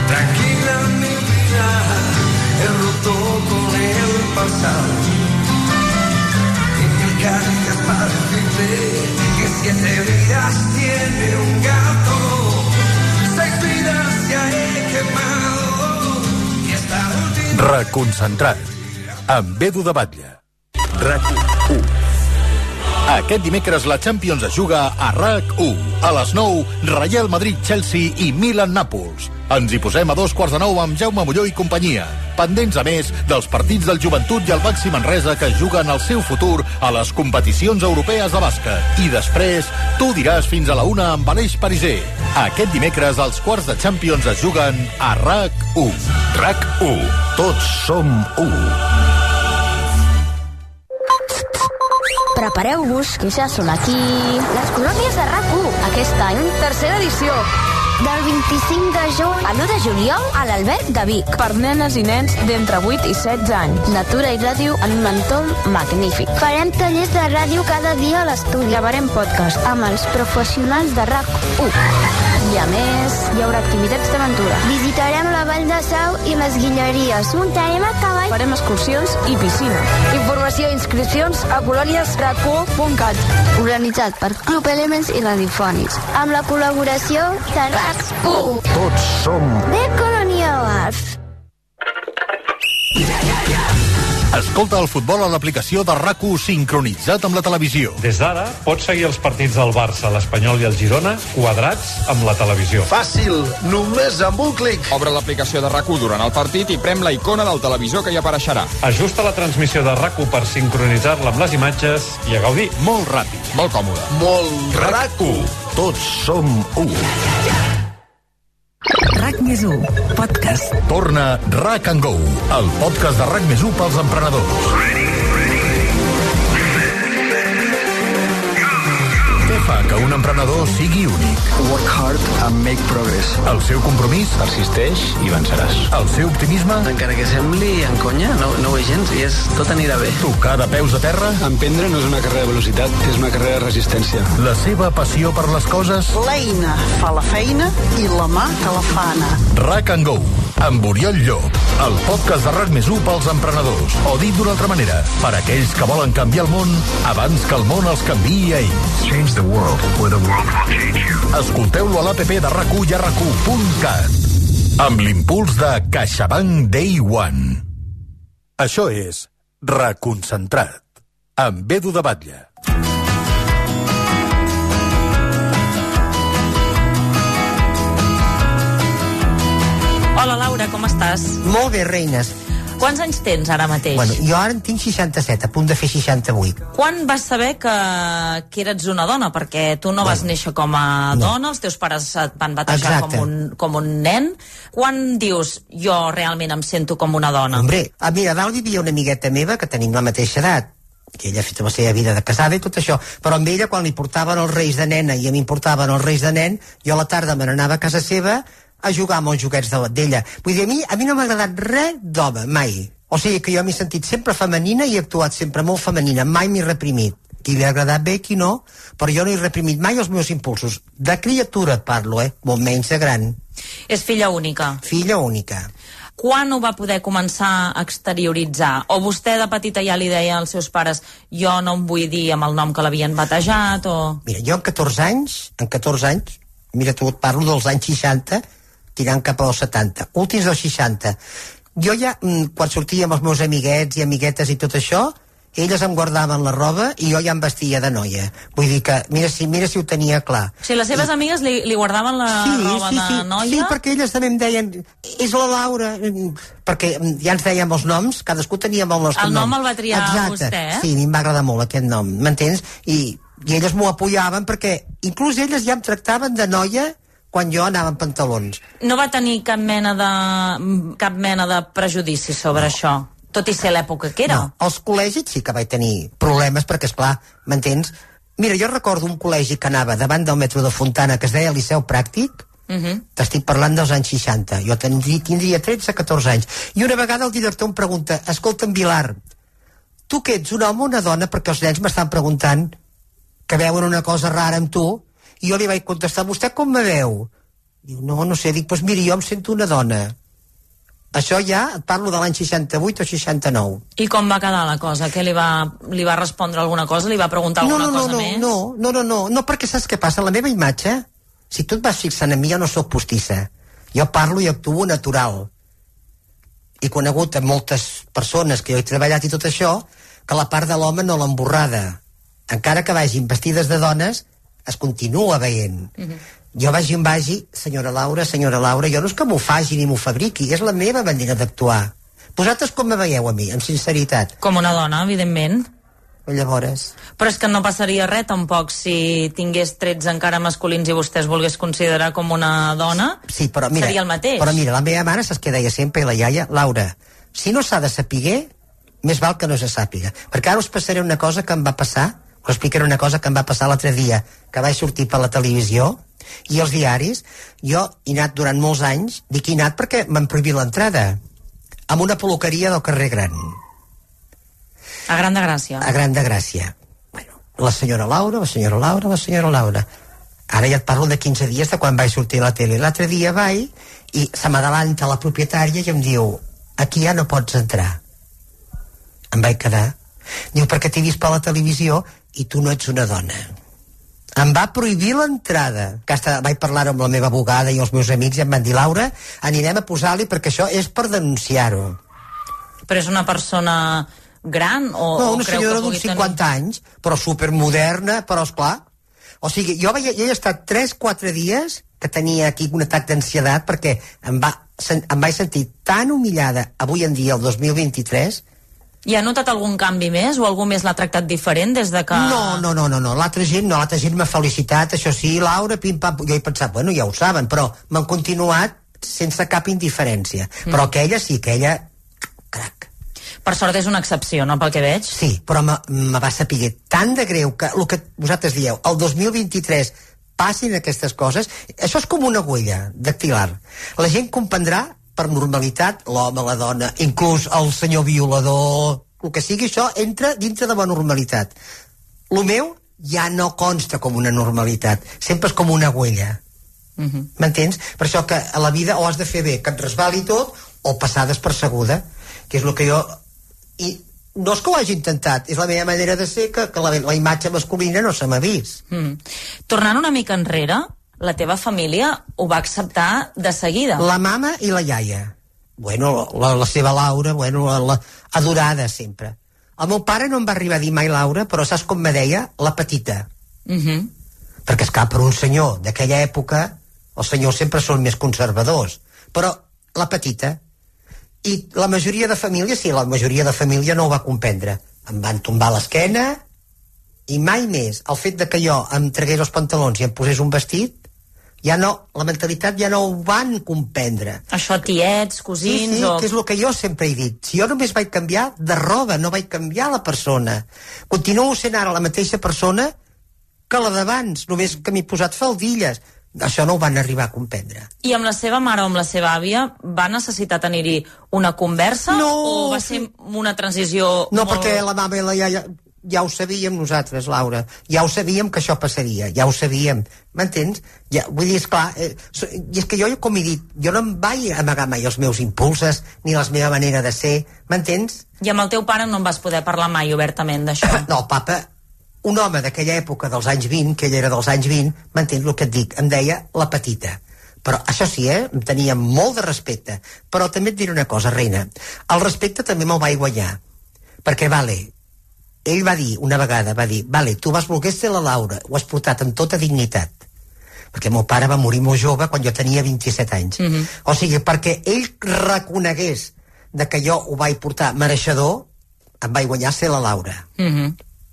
Tranquila mi vida, he roto con el pasado. Y mil caricias para decirte que 7 vidas tiene un gato, 6 vidas ya he quemado y esta última... Reconcentrat, amb Edu de Batlle. RAC1. Aquest dimecres la Champions es juga a RAC1. A les 9, Real Madrid-Chelsea i Milan-Nàpols. Ens hi posem a 8:45 amb Jaume Molló i companyia. Pendents, a més, dels partits del Joventut i el Baxi Manresa que juguen el seu futur a les competicions europees de bàsquet. I després, tu diràs fins a la 1 amb Aleix Pariser. Aquest dimecres els quarts de Champions es juguen a RAC1. RAC1. Tots som 1. Prepareu-vos, que ja són aquí les colònies de RAC1. Aquest any, tercera edició. Del 25 de juny a l'1 de juliol a l'Alberg de Vic. Per nenes i nens d'entre 8 i 16 anys. Natura i ràdio en un entorn magnífic. Farem tallers de ràdio cada dia a l'estudi. Gravarem podcast amb els professionals de RAC1. I a més, hi haurà activitats d'aventura. Visitarem la Vall de Sau i les Guilleries. Muntarem a cavall. Farem excursions i piscina. Informació i inscripcions a coloniesrac1.cat. Organitzat per Club Elements i Radiofònics. Amb la col·laboració de RAC1. Tots som... De Colonials. Escolta el futbol a l'aplicació de RAC1 sincronitzat amb la televisió. Des d'ara pots seguir els partits del Barça, l'Espanyol i el Girona quadrats amb la televisió. Fàcil, només amb un clic. Obre l'aplicació de RAC1 durant el partit i prem la icona del televisor que hi apareixerà. Ajusta la transmissió de RAC1 per sincronitzar-la amb les imatges i a gaudir. Molt ràpid. Molt còmode. Molt RAC1. Tots som 1. RAC+1, podcast. Torna RAC and Go, el podcast de RAC+1 pels emprenedors. Què fa que un emprenedor sigui únic? Work hard and make progress. El seu compromís? Persisteix i venceràs. El seu optimisme? Encara que sembli en conya, no ho és gens i tot anirà bé. Tocar de peus a terra? Emprendre no és una carrera de velocitat, és una carrera de resistència. La seva passió per les coses? L'eina fa la feina i la mà que la fa anar. RAC and Go, amb Oriol Llop, el podcast de RAC+1 pels emprenedors. O dit d'una altra manera, per aquells que volen canviar el món abans que el món els canviï a ells. Change the world, or the world will change you. Escolteu-lo a l'APP de RAC1 i a RAC1.cat. Amb l'impuls de CaixaBank Day One. Això és Reconcentrat, amb Edu de Batlle. Hola, Laura, com estàs? Molt bé, reines. Quants anys tens ara mateix? Bueno, jo ara en tinc 67, a punt de fer 68. Quan vas saber que eres una dona? Perquè tu no vas néixer com a dona, els teus pares et van batejar com un nen. Quan dius, jo realment em sento com una dona? Hombre, mira, a dalt vivia una amigueta meva que tenim la mateixa edat, que ella ha fet la seva vida de casada i tot això, però amb ella quan li portaven els reis de nena i a mi em portaven els reis de nen, jo a la tarda me n'anava a casa seva a jugar amb els joguets d'ella. Vull dir, a mi no m'ha agradat res d'home, mai. O sigui que jo m'he sentit sempre femenina i he actuat sempre molt femenina, mai m'he reprimit. Qui li ha agradat bé, qui no, però jo no he reprimit mai els meus impulsos. De criatura et parlo, molt menys de gran. És filla única? Filla única. Quan ho va poder començar a exterioritzar? O vostè de petita ja li deia als seus pares jo no em vull dir amb el nom que l'havien batejat, o...? Mira, jo en 14 anys, mira, tu et parlo dels anys 60, tirant cap als 70, últims dels 60. Jo ja, quan sortia amb els meus amiguets i amiguetes i tot això, elles em guardaven la roba i jo ja em vestia de noia. Vull dir que, mira si ho tenia clar. O sigui, les seves amigues li guardaven la roba de noia? Sí, perquè elles també em deien, és la Laura, perquè ja ens dèiem els noms, cadascú teníem el nostre nom. El nom el va triar vostè, eh? Sí, a mi em va agradar molt aquest nom, m'entens? I elles m'ho apoyaven perquè, inclús elles ja em tractaven de noia quan jo anava en pantalons. No va tenir cap mena de prejudici sobre això, tot i ser l'època que era? No, als col·legis sí que vaig tenir problemes, perquè, esclar, m'entens? Mira, jo recordo un col·legi que anava davant del metro de Fontana, que es deia Liceu Pràctic, t'estic parlant dels anys 60, jo tindria 13-14 anys, i una vegada el director em pregunta, escolta'm, Vilar, tu que ets un home o una dona? Perquè els nens m'estan preguntant que veuen una cosa rara amb tu, i jo li vaig contestar, vostè com me veu? Diu, no sé, dic, doncs miri, jo em sento una dona. Això ja, et parlo de l'any 68 o 69. I com va quedar la cosa? Què li va respondre alguna cosa? Li va preguntar alguna cosa més? No, perquè saps què passa? La meva imatge, si tu et vas fixant en mi, jo no sóc postissa. Jo parlo i actuo natural. He conegut a moltes persones que jo he treballat i tot això, que la part de l'home no l'ha emborrada. encara que vagin vestides de dones, es continua veient. Jo vagi on vagi, senyora Laura, jo no és que m'ho faci ni m'ho fabriqui, és la meva manera d'actuar. Vosaltres com me veieu a mi, amb sinceritat? Com una dona, evidentment. Llavors... Però és que no passaria res, tampoc, si tingués trets encara masculins i vostè es volgués considerar com una dona, sí, però mira, seria el mateix. Però mira, la meva mare saps què deia sempre, i la iaia, Laura, si no s'ha de saber, més val que no se sàpiga. Perquè ara us passaré una cosa que em va passar, us explicaré una cosa que em va passar l'altre dia, que vaig sortir per la televisió, i els diaris, jo he anat durant molts anys, dic he anat perquè m'han prohibit l'entrada, amb una peluqueria del carrer Gran. A Gran de Gràcia. A Gran de Gràcia. Bueno, la senyora Laura. Ara ja et parlo de 15 dies de quan vaig sortir a la tele. L'altre dia vaig i se m'adalanta la propietària i em diu, aquí ja no pots entrar. Em vaig quedar. Diu, perquè t'he vist per la televisió i tu no ets una dona. Em va prohibir l'entrada. Vaig parlar amb la meva abogada i els meus amics i em van dir, Laura, anirem a posar-li perquè això és per denunciar-ho. Però és una persona gran o no, una creu senyora que d'uns 50 anys, però supermoderna, però esclar. O sigui, jo he estat 3-4 dies que tenia aquí un atac d'ansietat perquè em vaig sentir tan humillada avui en dia, el 2023. I ha notat algun canvi més o algú més l'ha tractat diferent des de que... No, l'altra gent m'ha felicitat, això sí, Laura, pim-pam, jo he pensat, bueno, ja ho saben, però m'han continuat sense cap indiferència. Però aquella sí, crac. Per sort és una excepció, no, pel que veig? Sí, però me va saber tan de greu que el que vosaltres dieu, el 2023 passin aquestes coses, això és com una huella dactilar. La gent comprendrà per normalitat, l'home, la dona, inclús el senyor violador, el que sigui, això entra dintre de la normalitat. El meu ja no consta com una normalitat, sempre és com una huella. M'entens? Per això que a la vida o has de fer bé que et resbali tot o passar despercebuda, que és el que jo... I no és que ho hagi intentat, és la meva manera de ser que la imatge masculina no se m'ha vist. Tornant una mica enrere, la teva família ho va acceptar de seguida. La mama i la iaia. Bueno, la seva Laura, la adorada sempre. El meu pare no em va arribar a dir mai Laura, però saps com me deia? La petita. Perquè esclar, per un senyor d'aquella època, els senyors sempre són més conservadors. Però la petita. I la majoria de família, sí, la majoria de família no ho va comprendre. Em van tombar l'esquena i mai més. El fet de que jo em tragués els pantalons i em posés un vestit, ja no, la mentalitat ja no ho van comprendre. Això tiets, cosins... Sí, que és el que jo sempre he dit. Si jo només vaig canviar de roba, no vaig canviar la persona. Continuo sent ara la mateixa persona que la d'abans, només que m'he posat faldilles. Això no ho van arribar a comprendre. I amb la seva mare o amb la seva àvia va necessitar tenir-hi una conversa? No, o va ser una transició no, perquè la mama i la iaia ja ho sabíem nosaltres, Laura. Ja ho sabíem que això passaria, ja ho sabíem. M'entens? Ja, vull dir, esclar, i és que jo, com he dit, jo no em vaig amagar mai els meus impulses ni la meva manera de ser, m'entens? I amb el teu pare no en vas poder parlar mai obertament d'això? No, papa, un home d'aquella època dels anys 20, que ell era dels anys 20, m'entens el que et dic? Em deia la petita. Però això sí, em tenia molt de respecte. Però també et diré una cosa, reina. El respecte també me'l vaig guanyar. Perquè, vale, ell va dir, una vegada, vale, tu vas voler ser la Laura, ho has portat amb tota dignitat. Perquè el meu pare va morir molt jove quan jo tenia 27 anys. O sigui, perquè ell reconegués de que jo ho vaig portar mereixedor, em vaig guanyar ser la Laura.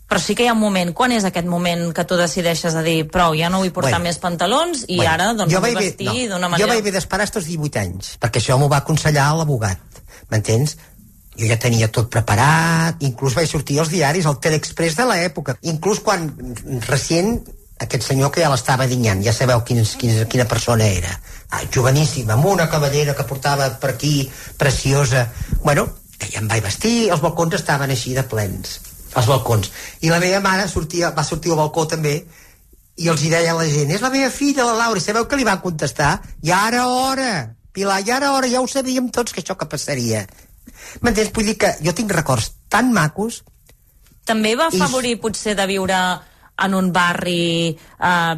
Però sí que hi ha un moment. Quan és aquest moment que tu decideixes a dir prou, ja no vull portar més pantalons i ara doncs vull vestir d'una manera... Jo vaig haver d'esperar als 18 anys, perquè això m'ho va aconsellar l'abogat, m'entens? Jo ja tenia tot preparat, inclús vaig sortir als diaris, al Teleexpress de l'època, inclús quan recient aquest senyor que ja l'estava dinyant, ja sabeu quina persona era, joveníssima, amb una cavallera que portava per aquí, preciosa, bueno, que ja em vaig vestir, els balcons estaven així de plens, els balcons. I la meva mare va sortir al balcó també i els hi deia a la gent, és la meva filla, la Laura, i sabeu què li van contestar? Ja era hora, Pilar, ja era hora, ja ho sabíem tots que això que passaria. M'entens? Vull dir que jo tinc records tan macos. També va afavorir potser de viure en un barri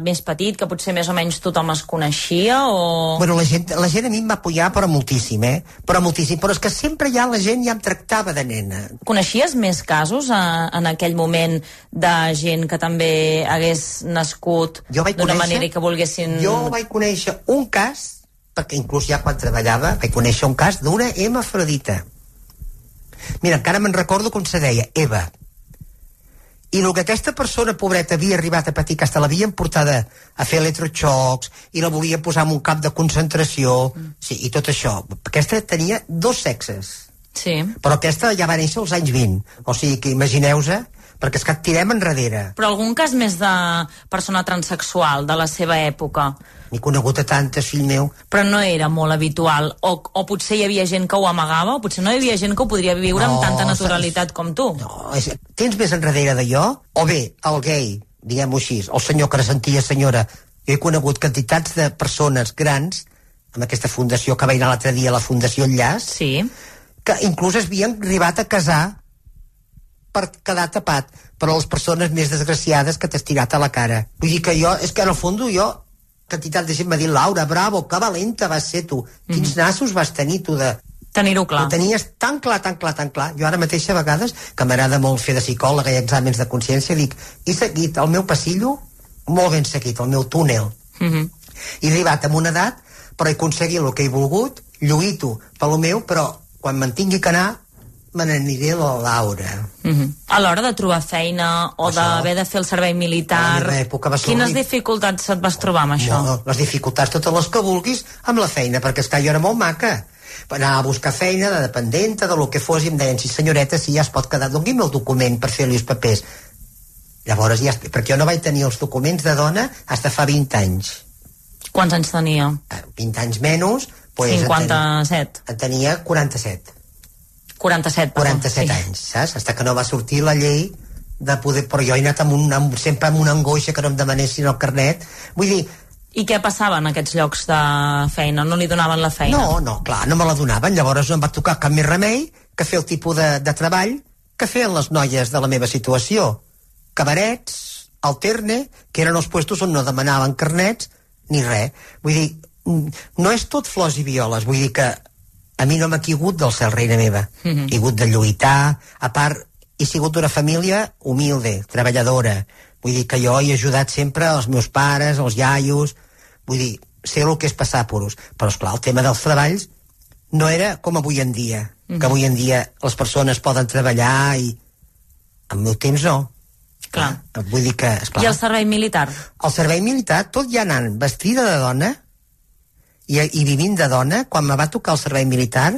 més petit, que potser més o menys tothom es coneixia, o...? Bueno, la gent a mi em va apoyar, però moltíssim, però moltíssim, però és que sempre ja la gent ja em tractava de nena. Coneixies més casos en aquell moment de gent que també hagués nascut d'una manera i que volguessin... Jo vaig conèixer un cas, perquè inclús ja quan treballava vaig conèixer un cas d'una hemafrodita. Mira, encara me'n recordo com se deia, Eva. I el que aquesta persona, pobreta, havia arribat a patir, que hasta l'havien portada a fer electroxocs i la volia posar en un camp de concentració, sí, i tot això. Aquesta tenia 2 sexes. Sí. Però aquesta ja va néixer als anys 20. O sigui que imagineu-se, perquè és que et tirem enrere. Però algun cas més de persona transsexual de la seva època? N'he conegut a tantes, fill meu. Però no era molt habitual, o potser hi havia gent que ho amagava, o potser no hi havia gent que ho podria viure amb tanta naturalitat com tu. No, tens més enrere d'allò? O bé, el gay, diguem-ho així, el senyor que sentia senyora. Jo he conegut quantitats de persones grans, amb aquesta fundació que vaig anar l'altre dia, la Fundació Enllaç, sí, que inclús havien arribat a casar per quedar tapat, però les persones més desgraciades que t'has tirat a la cara. Vull dir que jo, és que en el fons jo, quantitat de gent m'ha dit, Laura, bravo, que valenta vas ser tu. Quins nassos vas tenir tu de... Tenir-ho clar. Ho tenies tan clar, tan clar, tan clar. Jo ara mateix a vegades, que m'agrada molt fer de psicòloga i exàmens de consciència, dic, he seguit el meu passillo molt ben seguit, el meu túnel. He arribat amb una edat, però he aconseguit el que he volgut, lluito pel meu, però quan me'n tingui que anar, me n'aniré a la Laura. A l'hora de trobar feina o d'haver de fer el servei militar, quines dificultats et vas trobar amb això? No, les dificultats totes les que vulguis amb la feina, perquè és que jo era molt maca. Anar a buscar feina de dependenta, de lo que fos, i em deien, sí senyoreta, si ja es pot quedar, doni'm el document per fer-li els papers. Llavors ja, perquè jo no vaig tenir els documents de dona fins fa 20 anys. Quants anys tenia? 20 anys menys. 57. En tenia 47. 47 anys, saps? Fins que no va sortir la llei de poder... Però jo he anat sempre amb una angoixa que no em demanessin el carnet. Vull dir... I què passava en aquests llocs de feina? No li donaven la feina? No, clar, no me la donaven. Llavors no em va tocar cap més remei que fer el tipus de treball que feien les noies de la meva situació. Cabarets, alterne, que eren els puestos on no demanaven carnets ni res. Vull dir, no és tot flors i violes. Vull dir que a mi no m'ha caigut del cel, reina meva. He hagut de lluitar. A part, he sigut d'una família humilde, treballadora. Vull dir que jo he ajudat sempre els meus pares, els iaios. Vull dir, sé el que és passar apuros. Però, esclar, el tema dels treballs no era com avui en dia. Que avui en dia les persones poden treballar i... Al meu temps no. Clar. Vull dir que, esclar... I el servei militar? El servei militar, tot ja anant vestida de dona i vivint de dona, quan me va tocar el servei militar,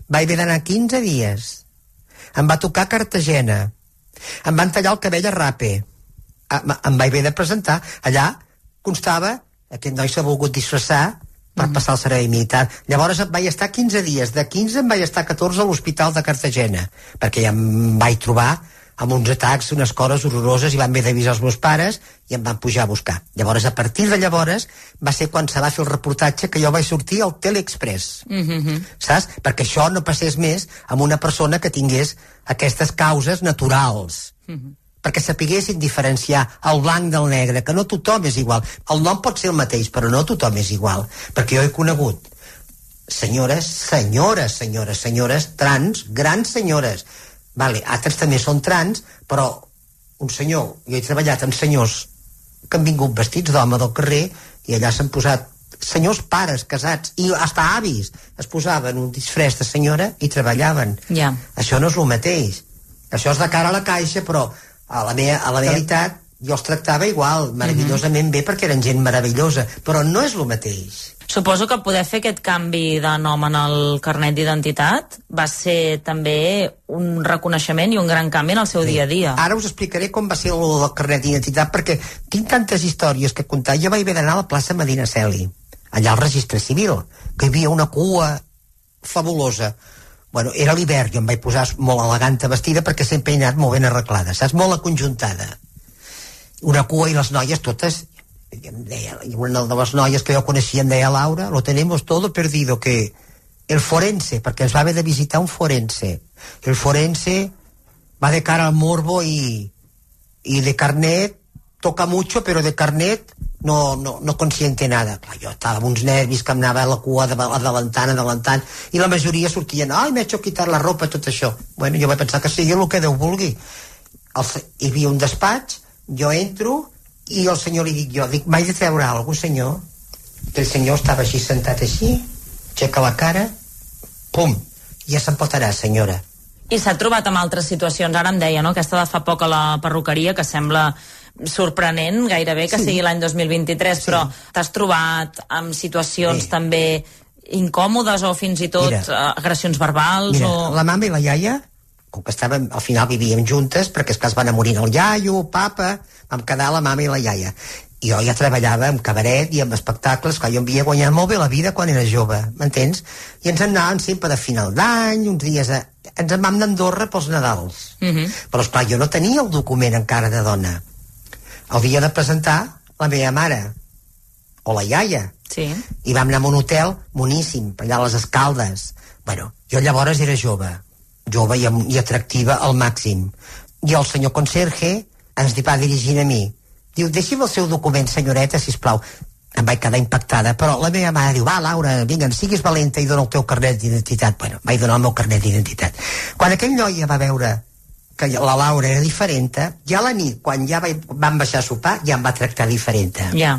vaig haver d'anar 15 dies. Em va tocar Cartagena. Em van tallar el cabell a rape. Em vaig haver de presentar. Allà constava, aquest noi s'ha volgut disfressar per passar el servei militar. Llavors vaig estar 15 dies. De 15 em vaig estar 14 a l'hospital de Cartagena, perquè ja em vaig trobar amb uns atacs, unes coses horroroses, i van haver d'avisar els meus pares i em van pujar a buscar. Llavors, a partir de llavors, va ser quan se va fer el reportatge que jo vaig sortir al Teleexpress. Saps? Perquè això no passés més amb una persona que tingués aquestes causes naturals. Perquè sapiguessin diferenciar el blanc del negre, que no tothom és igual. El nom pot ser el mateix, però no tothom és igual. Perquè jo he conegut senyores, trans, grans senyores. Vale, altres també són trans, però un senyor, jo he treballat amb senyors que han vingut vestits d'home del carrer i allà s'han posat senyors pares casats i hasta avis es posaven un disfress de senyora i treballaven. Això no és el mateix. Això és de cara a la caixa, però a la meva realitat jo els tractava igual, meravellosament bé, perquè eren gent meravellosa, però no és el mateix. Suposo que poder fer aquest canvi de nom en el carnet d'identitat va ser també un reconeixement i un gran canvi en el seu dia a dia. Ara us explicaré com va ser el del carnet d'identitat, perquè tinc tantes històries que contar. Jo vaig haver d'anar a la plaça Medinaceli, allà al registre civil, que hi havia una cua fabulosa. Bueno, era l'hivern, jo em vaig posar molt elegant vestida perquè sempre he anat molt ben arreglada, saps? Molt aconjuntada. Una cua i les noies totes... una de les noies que jo coneixia em deia, Laura, lo tenemos todo perdido, que el forense, perquè ens va haver de visitar un forense, el forense va de cara al morbo i de carnet toca mucho, pero de carnet no consiente nada. Clar, jo estava amb uns nervis que em anava a la cua adelantant, i la majoria sortien, ai, m'he hecho quitar la ropa, tot això. Bueno, jo vaig pensar que sigui el que Déu vulgui. Hi havia un despatx, jo entro, i el senyor li dic, m'he de treure alguna cosa, senyor? El senyor estava així, sentat així, aixeca la cara, pum, ja se'n pot anar, senyora. I s'ha trobat amb altres situacions, ara em deia, no?, aquesta de fa poc a la perruqueria, que sembla sorprenent gairebé que sigui l'any 2023, però t'has trobat amb situacions també incòmodes o fins i tot agressions verbals? La mama i la iaia, com que estàvem, al final vivíem juntes, perquè és que es van a morir el iaio, el papa, vam quedar la mama i la iaia. I jo ja treballava en cabaret i en espectacles, que jo havia guanyat molt bé la vida quan era jove, m'entens? I ens anàvem sempre de final d'any, uns dies ens en vam anar a Andorra pels Nadals. Però esclar, jo no tenia el document encara de dona. El dia de presentar la meva mare o la iaia. I vam anar a un hotel boníssim, allà a les Escaldes. Bueno, jo llavors era jove i atractiva al màxim. I el senyor conserge ens va dirigint a mi. Diu, deixi'm el seu document, senyoreta, sisplau. Em vaig quedar impactada, però la meva mare diu, va, Laura, vinga, siguis valenta i dona el teu carnet d'identitat. Bueno, vaig donar el meu carnet d'identitat. Quan aquell noi va veure que la Laura era diferent, ja a la nit, quan ja vam baixar a sopar, ja em va tractar diferent. Ja.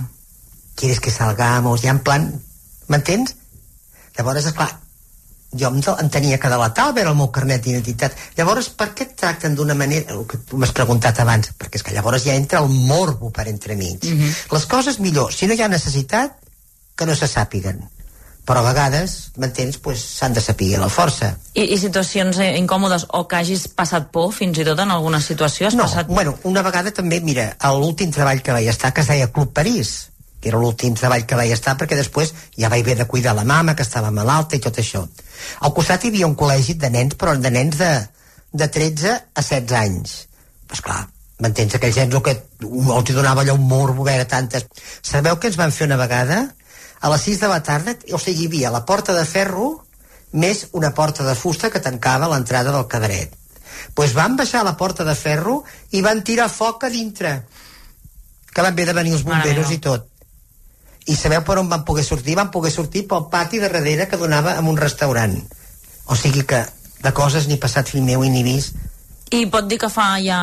¿Quieres que salgamos? Ja en plan, m'entens? Llavors, esclar, jo em tenia que delatar al veure el meu carnet d'identitat. Llavors, per què et tracten d'una manera, el que tu m'has preguntat abans, perquè és que llavors ja entra el morbo per entremig. Les coses millor, si no hi ha necessitat, que no se sàpiguen. Però a vegades, m'entens, s'han de saber la força. I situacions incòmodes o que hagis passat por fins i tot en alguna situació? Bueno, una vegada també, mira, l'últim treball que vaig estar, que es deia Club París, que era l'últim treball que vaig estar, perquè després ja vaig haver de cuidar la mama, que estava malalta i tot això. Al costat hi havia un col·legi de nens, però de nens de 13 a 16 anys. Pues clar, m'entens, aquells nens que els donava allò un morbo, veure tantes... Sabeu què ens van fer una vegada? A les 6 de la tarda, o sigui, hi havia la porta de ferro més una porta de fusta que tancava l'entrada del cabaret. Doncs van baixar la porta de ferro i van tirar foc a dintre, que van haver de venir els bomberos i tot. I sabeu per on van poder sortir? Van poder sortir pel pati de darrere que donava a un restaurant. O sigui que de coses ni passat fill meu i ni vist. I pot dir que fa ja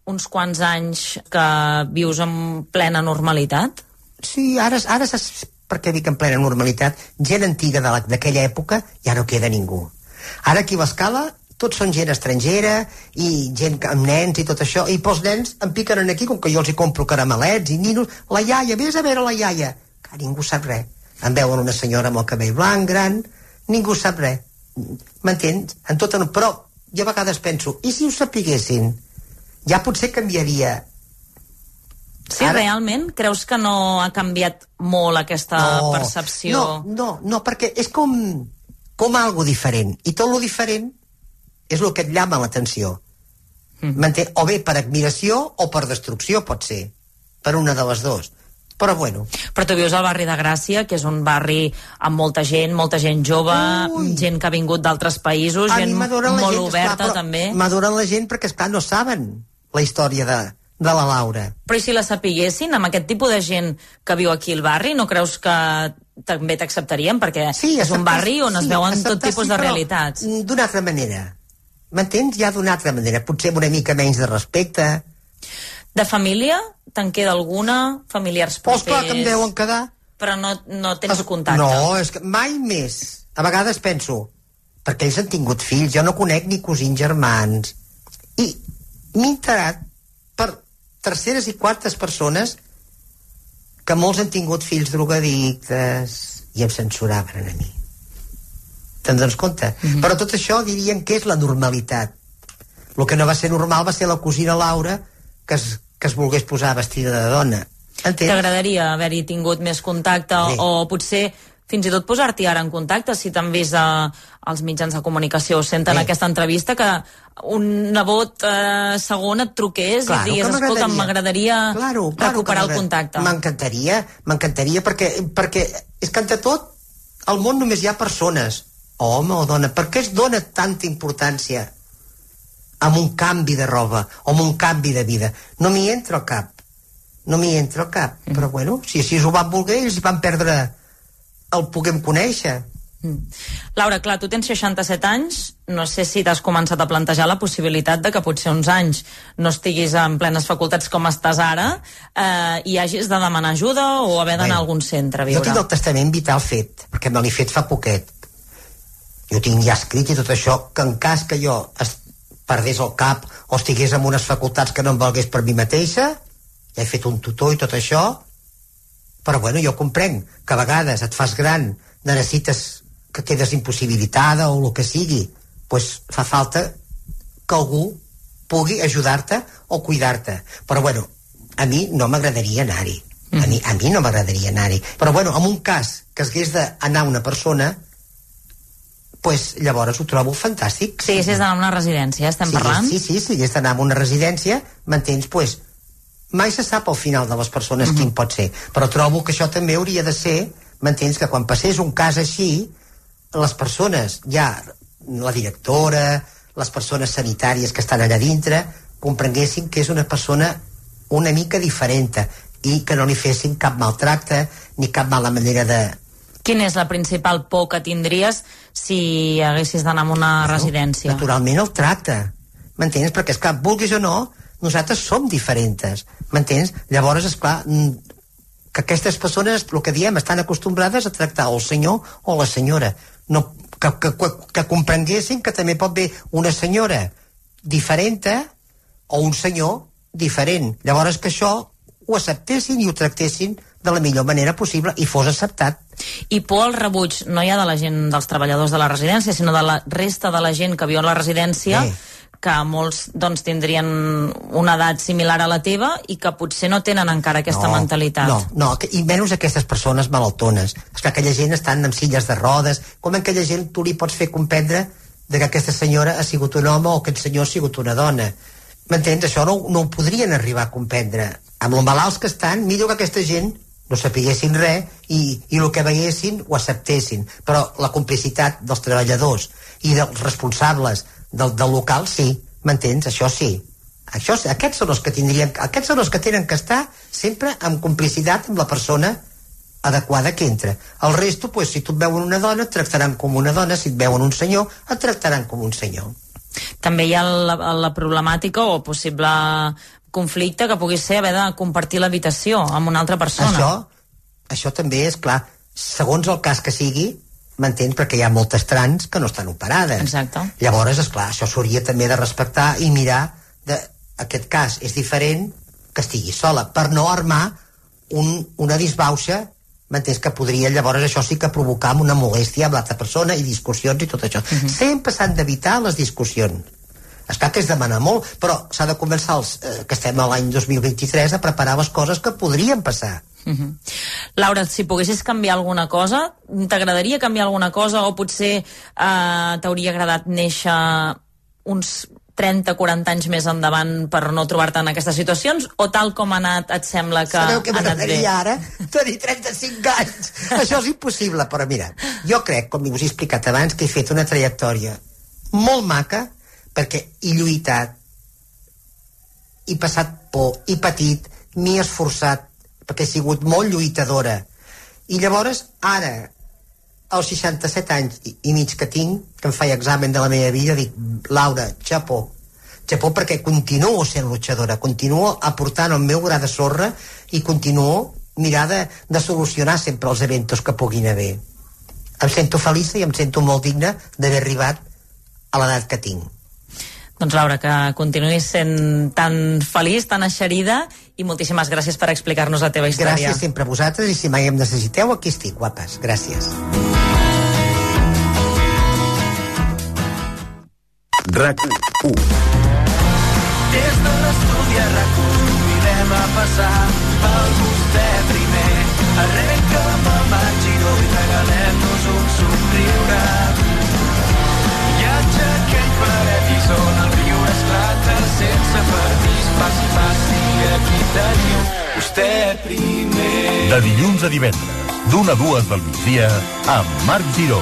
uns quants anys que vius en plena normalitat? Sí, ara saps per què dic en plena normalitat? Gent antiga d'aquella època ja no queda ningú. Ara aquí a l'Escala tots són gent estrangera i gent amb nens i tot això, i pels nens em piquen aquí, com que jo els hi compro caramelets i ninos. La iaia, vés a veure la iaia, que ningú sap res. Em veuen una senyora amb el cabell blanc, gran, ningú sap res. M'entens? Però jo a vegades penso, i si ho sapiguessin? Ja potser canviaria. Sí, realment? Creus que no ha canviat molt aquesta percepció? No, perquè és com algo diferent. I tot lo diferent és el que et llama l'atenció. O bé per admiració o per destrucció, pot ser. Per una de les dues. Però bueno. Però tu vius al barri de Gràcia, que és un barri amb molta gent jove, gent que ha vingut d'altres països, gent molt oberta, també. M'adoren la gent perquè, esclar, no saben la història de la Laura. Però i si la sapiguessin, amb aquest tipus de gent que viu aquí al barri, no creus que també t'acceptarien? Perquè és un barri on es veuen tot tipus de realitats. D'una altra manera. M'entens? Ja d'una altra manera. Potser una mica menys de respecte. De família? Te'n queda alguna? Familiars propers? Clar que em deuen quedar. Però no tens contacte? No, és que mai més. A vegades penso, perquè ells han tingut fills, jo no conec ni cosins germans. I m'he enterat per terceres i quartes persones que molts han tingut fills drogadictes i em censuraven a mi. Te'n dones compte? Però tot això dirien que és la normalitat. El que no va ser normal va ser la cosina Laura que es volgués posar vestida de dona. T'agradaria haver-hi tingut més contacte o potser fins i tot posar-t'hi ara en contacte, si t'han vist als mitjans de comunicació o senten aquesta entrevista, que un nebot segon et truqués i digués, escolta, m'agradaria recuperar el contacte. M'encantaria perquè és que entre tot al món només hi ha persones, home o dona. Per què es dona tanta importància amb un canvi de roba o amb un canvi de vida? No m'hi entra al cap. no m'hi entra al cap. Però bueno, si així ho van voler, ells van perdre el puguem conèixer. Laura, clar, tu tens 67 anys, no sé si t'has començat a plantejar la possibilitat de que potser uns anys no estiguis en plenes facultats com estàs ara i hagis de demanar ajuda o haver d'anar a algun centre a viure. Jo tinc el testament vital fet, perquè me l'he fet fa poquet. Jo tinc ja escrit i tot això, que en cas que jo perdés el cap o estigués en unes facultats que no em valgués per mi mateixa, ja he fet un tutor i tot això, però bueno, jo comprenc que a vegades et fas gran, necessites que quedes impossibilitada o el que sigui, pues fa falta que algú pugui ajudar-te o cuidar-te. Però bueno, a mi no m'agradaria anar-hi. A mi no m'agradaria anar-hi. Però bueno, en un cas que hagués d'anar una persona, pues llavors ho trobo fantàstic. Sí, si has d'anar a una residència, estem parlant? Sí, si hagués d'anar a una residència, m'entens? Pues mai se sap al final de les persones quin pot ser. Però trobo que això també hauria de ser, m'entens, que quan passés un cas així, les persones, ja la directora, les persones sanitàries que estan allà dintre, comprenguessin que és una persona una mica diferent i que no li fessin cap maltracte ni cap mala manera de... Quina és la principal por que tindries si haguessis d'anar a una residència? Naturalment el tracte, m'entens? Perquè, esclar, vulguis o no, nosaltres som diferents, m'entens? Llavors, esclar, que aquestes persones, el que diem, estan acostumbrades a tractar el senyor o la senyora. No, que comprenguessin que també pot haver una senyora diferent o un senyor diferent. Llavors que això ho acceptessin i ho tractessin de la millor manera possible i fos acceptat. I por al rebuig no hi ha de la gent, dels treballadors de la residència, sinó de la resta de la gent que viu a la residència, que molts doncs tindrien una edat similar a la teva i que potser no tenen encara aquesta mentalitat. No, i menys aquestes persones malaltones. És que aquella gent estan amb silles de rodes, com aquella gent tu li pots fer comprendre que aquesta senyora ha sigut un home o aquest senyor ha sigut una dona. M'entens? Això no ho podrien arribar a comprendre. Amb els malalts que estan, millor que aquesta gent no sapiguessin res i el que veiessin ho acceptessin. Però la complicitat dels treballadors i dels responsables del local, sí, m'entens? Això sí. Aquests són els que tenen que estar sempre en complicitat amb la persona adequada que entra. El resto, pues, si tu et veuen una dona, et tractaran com una dona, si et veuen un senyor, et tractaran com un senyor. També hi ha la problemàtica o possible conflicte que pugui ser haver de compartir l'habitació amb una altra persona. Això també és clar, segons el cas que sigui, m'entens? Perquè hi ha moltes trans que no estan operades. Exacte. Llavors, esclar, això s'hauria també de respectar i mirar aquest cas és diferent que estigui sola, per no armar una disbauxa, m'entens? Que podria llavors això sí que provocar una molèstia amb l'altra persona i discussions i tot això. Sempre s'han d'evitar les discussions. Esclar que és demanar molt, però s'ha de començar que estem a l'any 2023 a preparar les coses que podrien passar. Laura, si poguessis canviar alguna cosa, t'agradaria canviar alguna cosa o potser t'hauria agradat néixer uns 30-40 anys més endavant per no trobar-te en aquestes situacions, o tal com ha anat et sembla que ha anat bé? Sabeu que m'agradaria ara tenir 35 anys? Això és impossible, però mira, jo crec, com us he explicat abans, que he fet una trajectòria molt maca, perquè he lluitat, he passat por, he patit, m'he esforçat, perquè he sigut molt lluitadora. I llavors, ara, als 67 anys i mig que tinc, que em faig examen de la meva vida, dic, Laura, xapó. Xapó perquè continuo sent luchadora, continuo aportant el meu gra de sorra i continuo mirar de solucionar sempre els eventos que puguin haver. Em sento feliç i em sento molt digna d'haver arribat a l'edat que tinc. Doncs Laura, que continuïs sent tan feliç, tan eixerida, i moltíssimes gràcies per explicar-nos la teva història. Gràcies sempre a vosaltres, i si mai em necessiteu, aquí estic, guapes. Gràcies. RAC1. Des de l'estudi a RAC1 convidem a passar pel vostè primer. Arrenca'm el Marc Giró i regalem-nos un somriure. Viatge que ell pleguem i sona el riure esclata sense permís. Passi, aquí teniu vostè primer. De dilluns a divendres, d'1 a 2 del migdia, amb Marc Giró.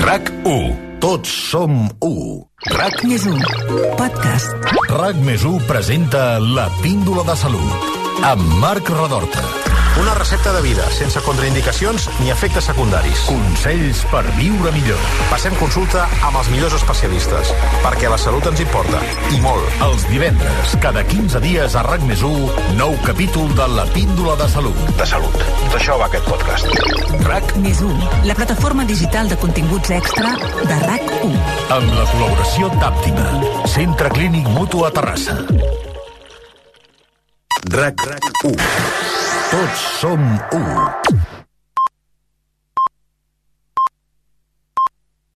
RAC1. Tots som u. RAC+1. Podcast. RAC+1 presenta La Píndola de Salut. amb Marc Redorta. Una recepta de vida, sense contraindicacions ni efectes secundaris. Consells per viure millor. Passem consulta amb els millors especialistes, perquè la salut ens importa, i molt. Els divendres, cada 15 dies a RAC+1, nou capítol de La Píndola de Salut. De salut. D'això va aquest podcast. RAC+1, la plataforma digital de continguts extra de RAC1. Amb la col·laboració d'Àptima, Centre Clínic Mutu a Terrassa. RAC1. Tots som 1.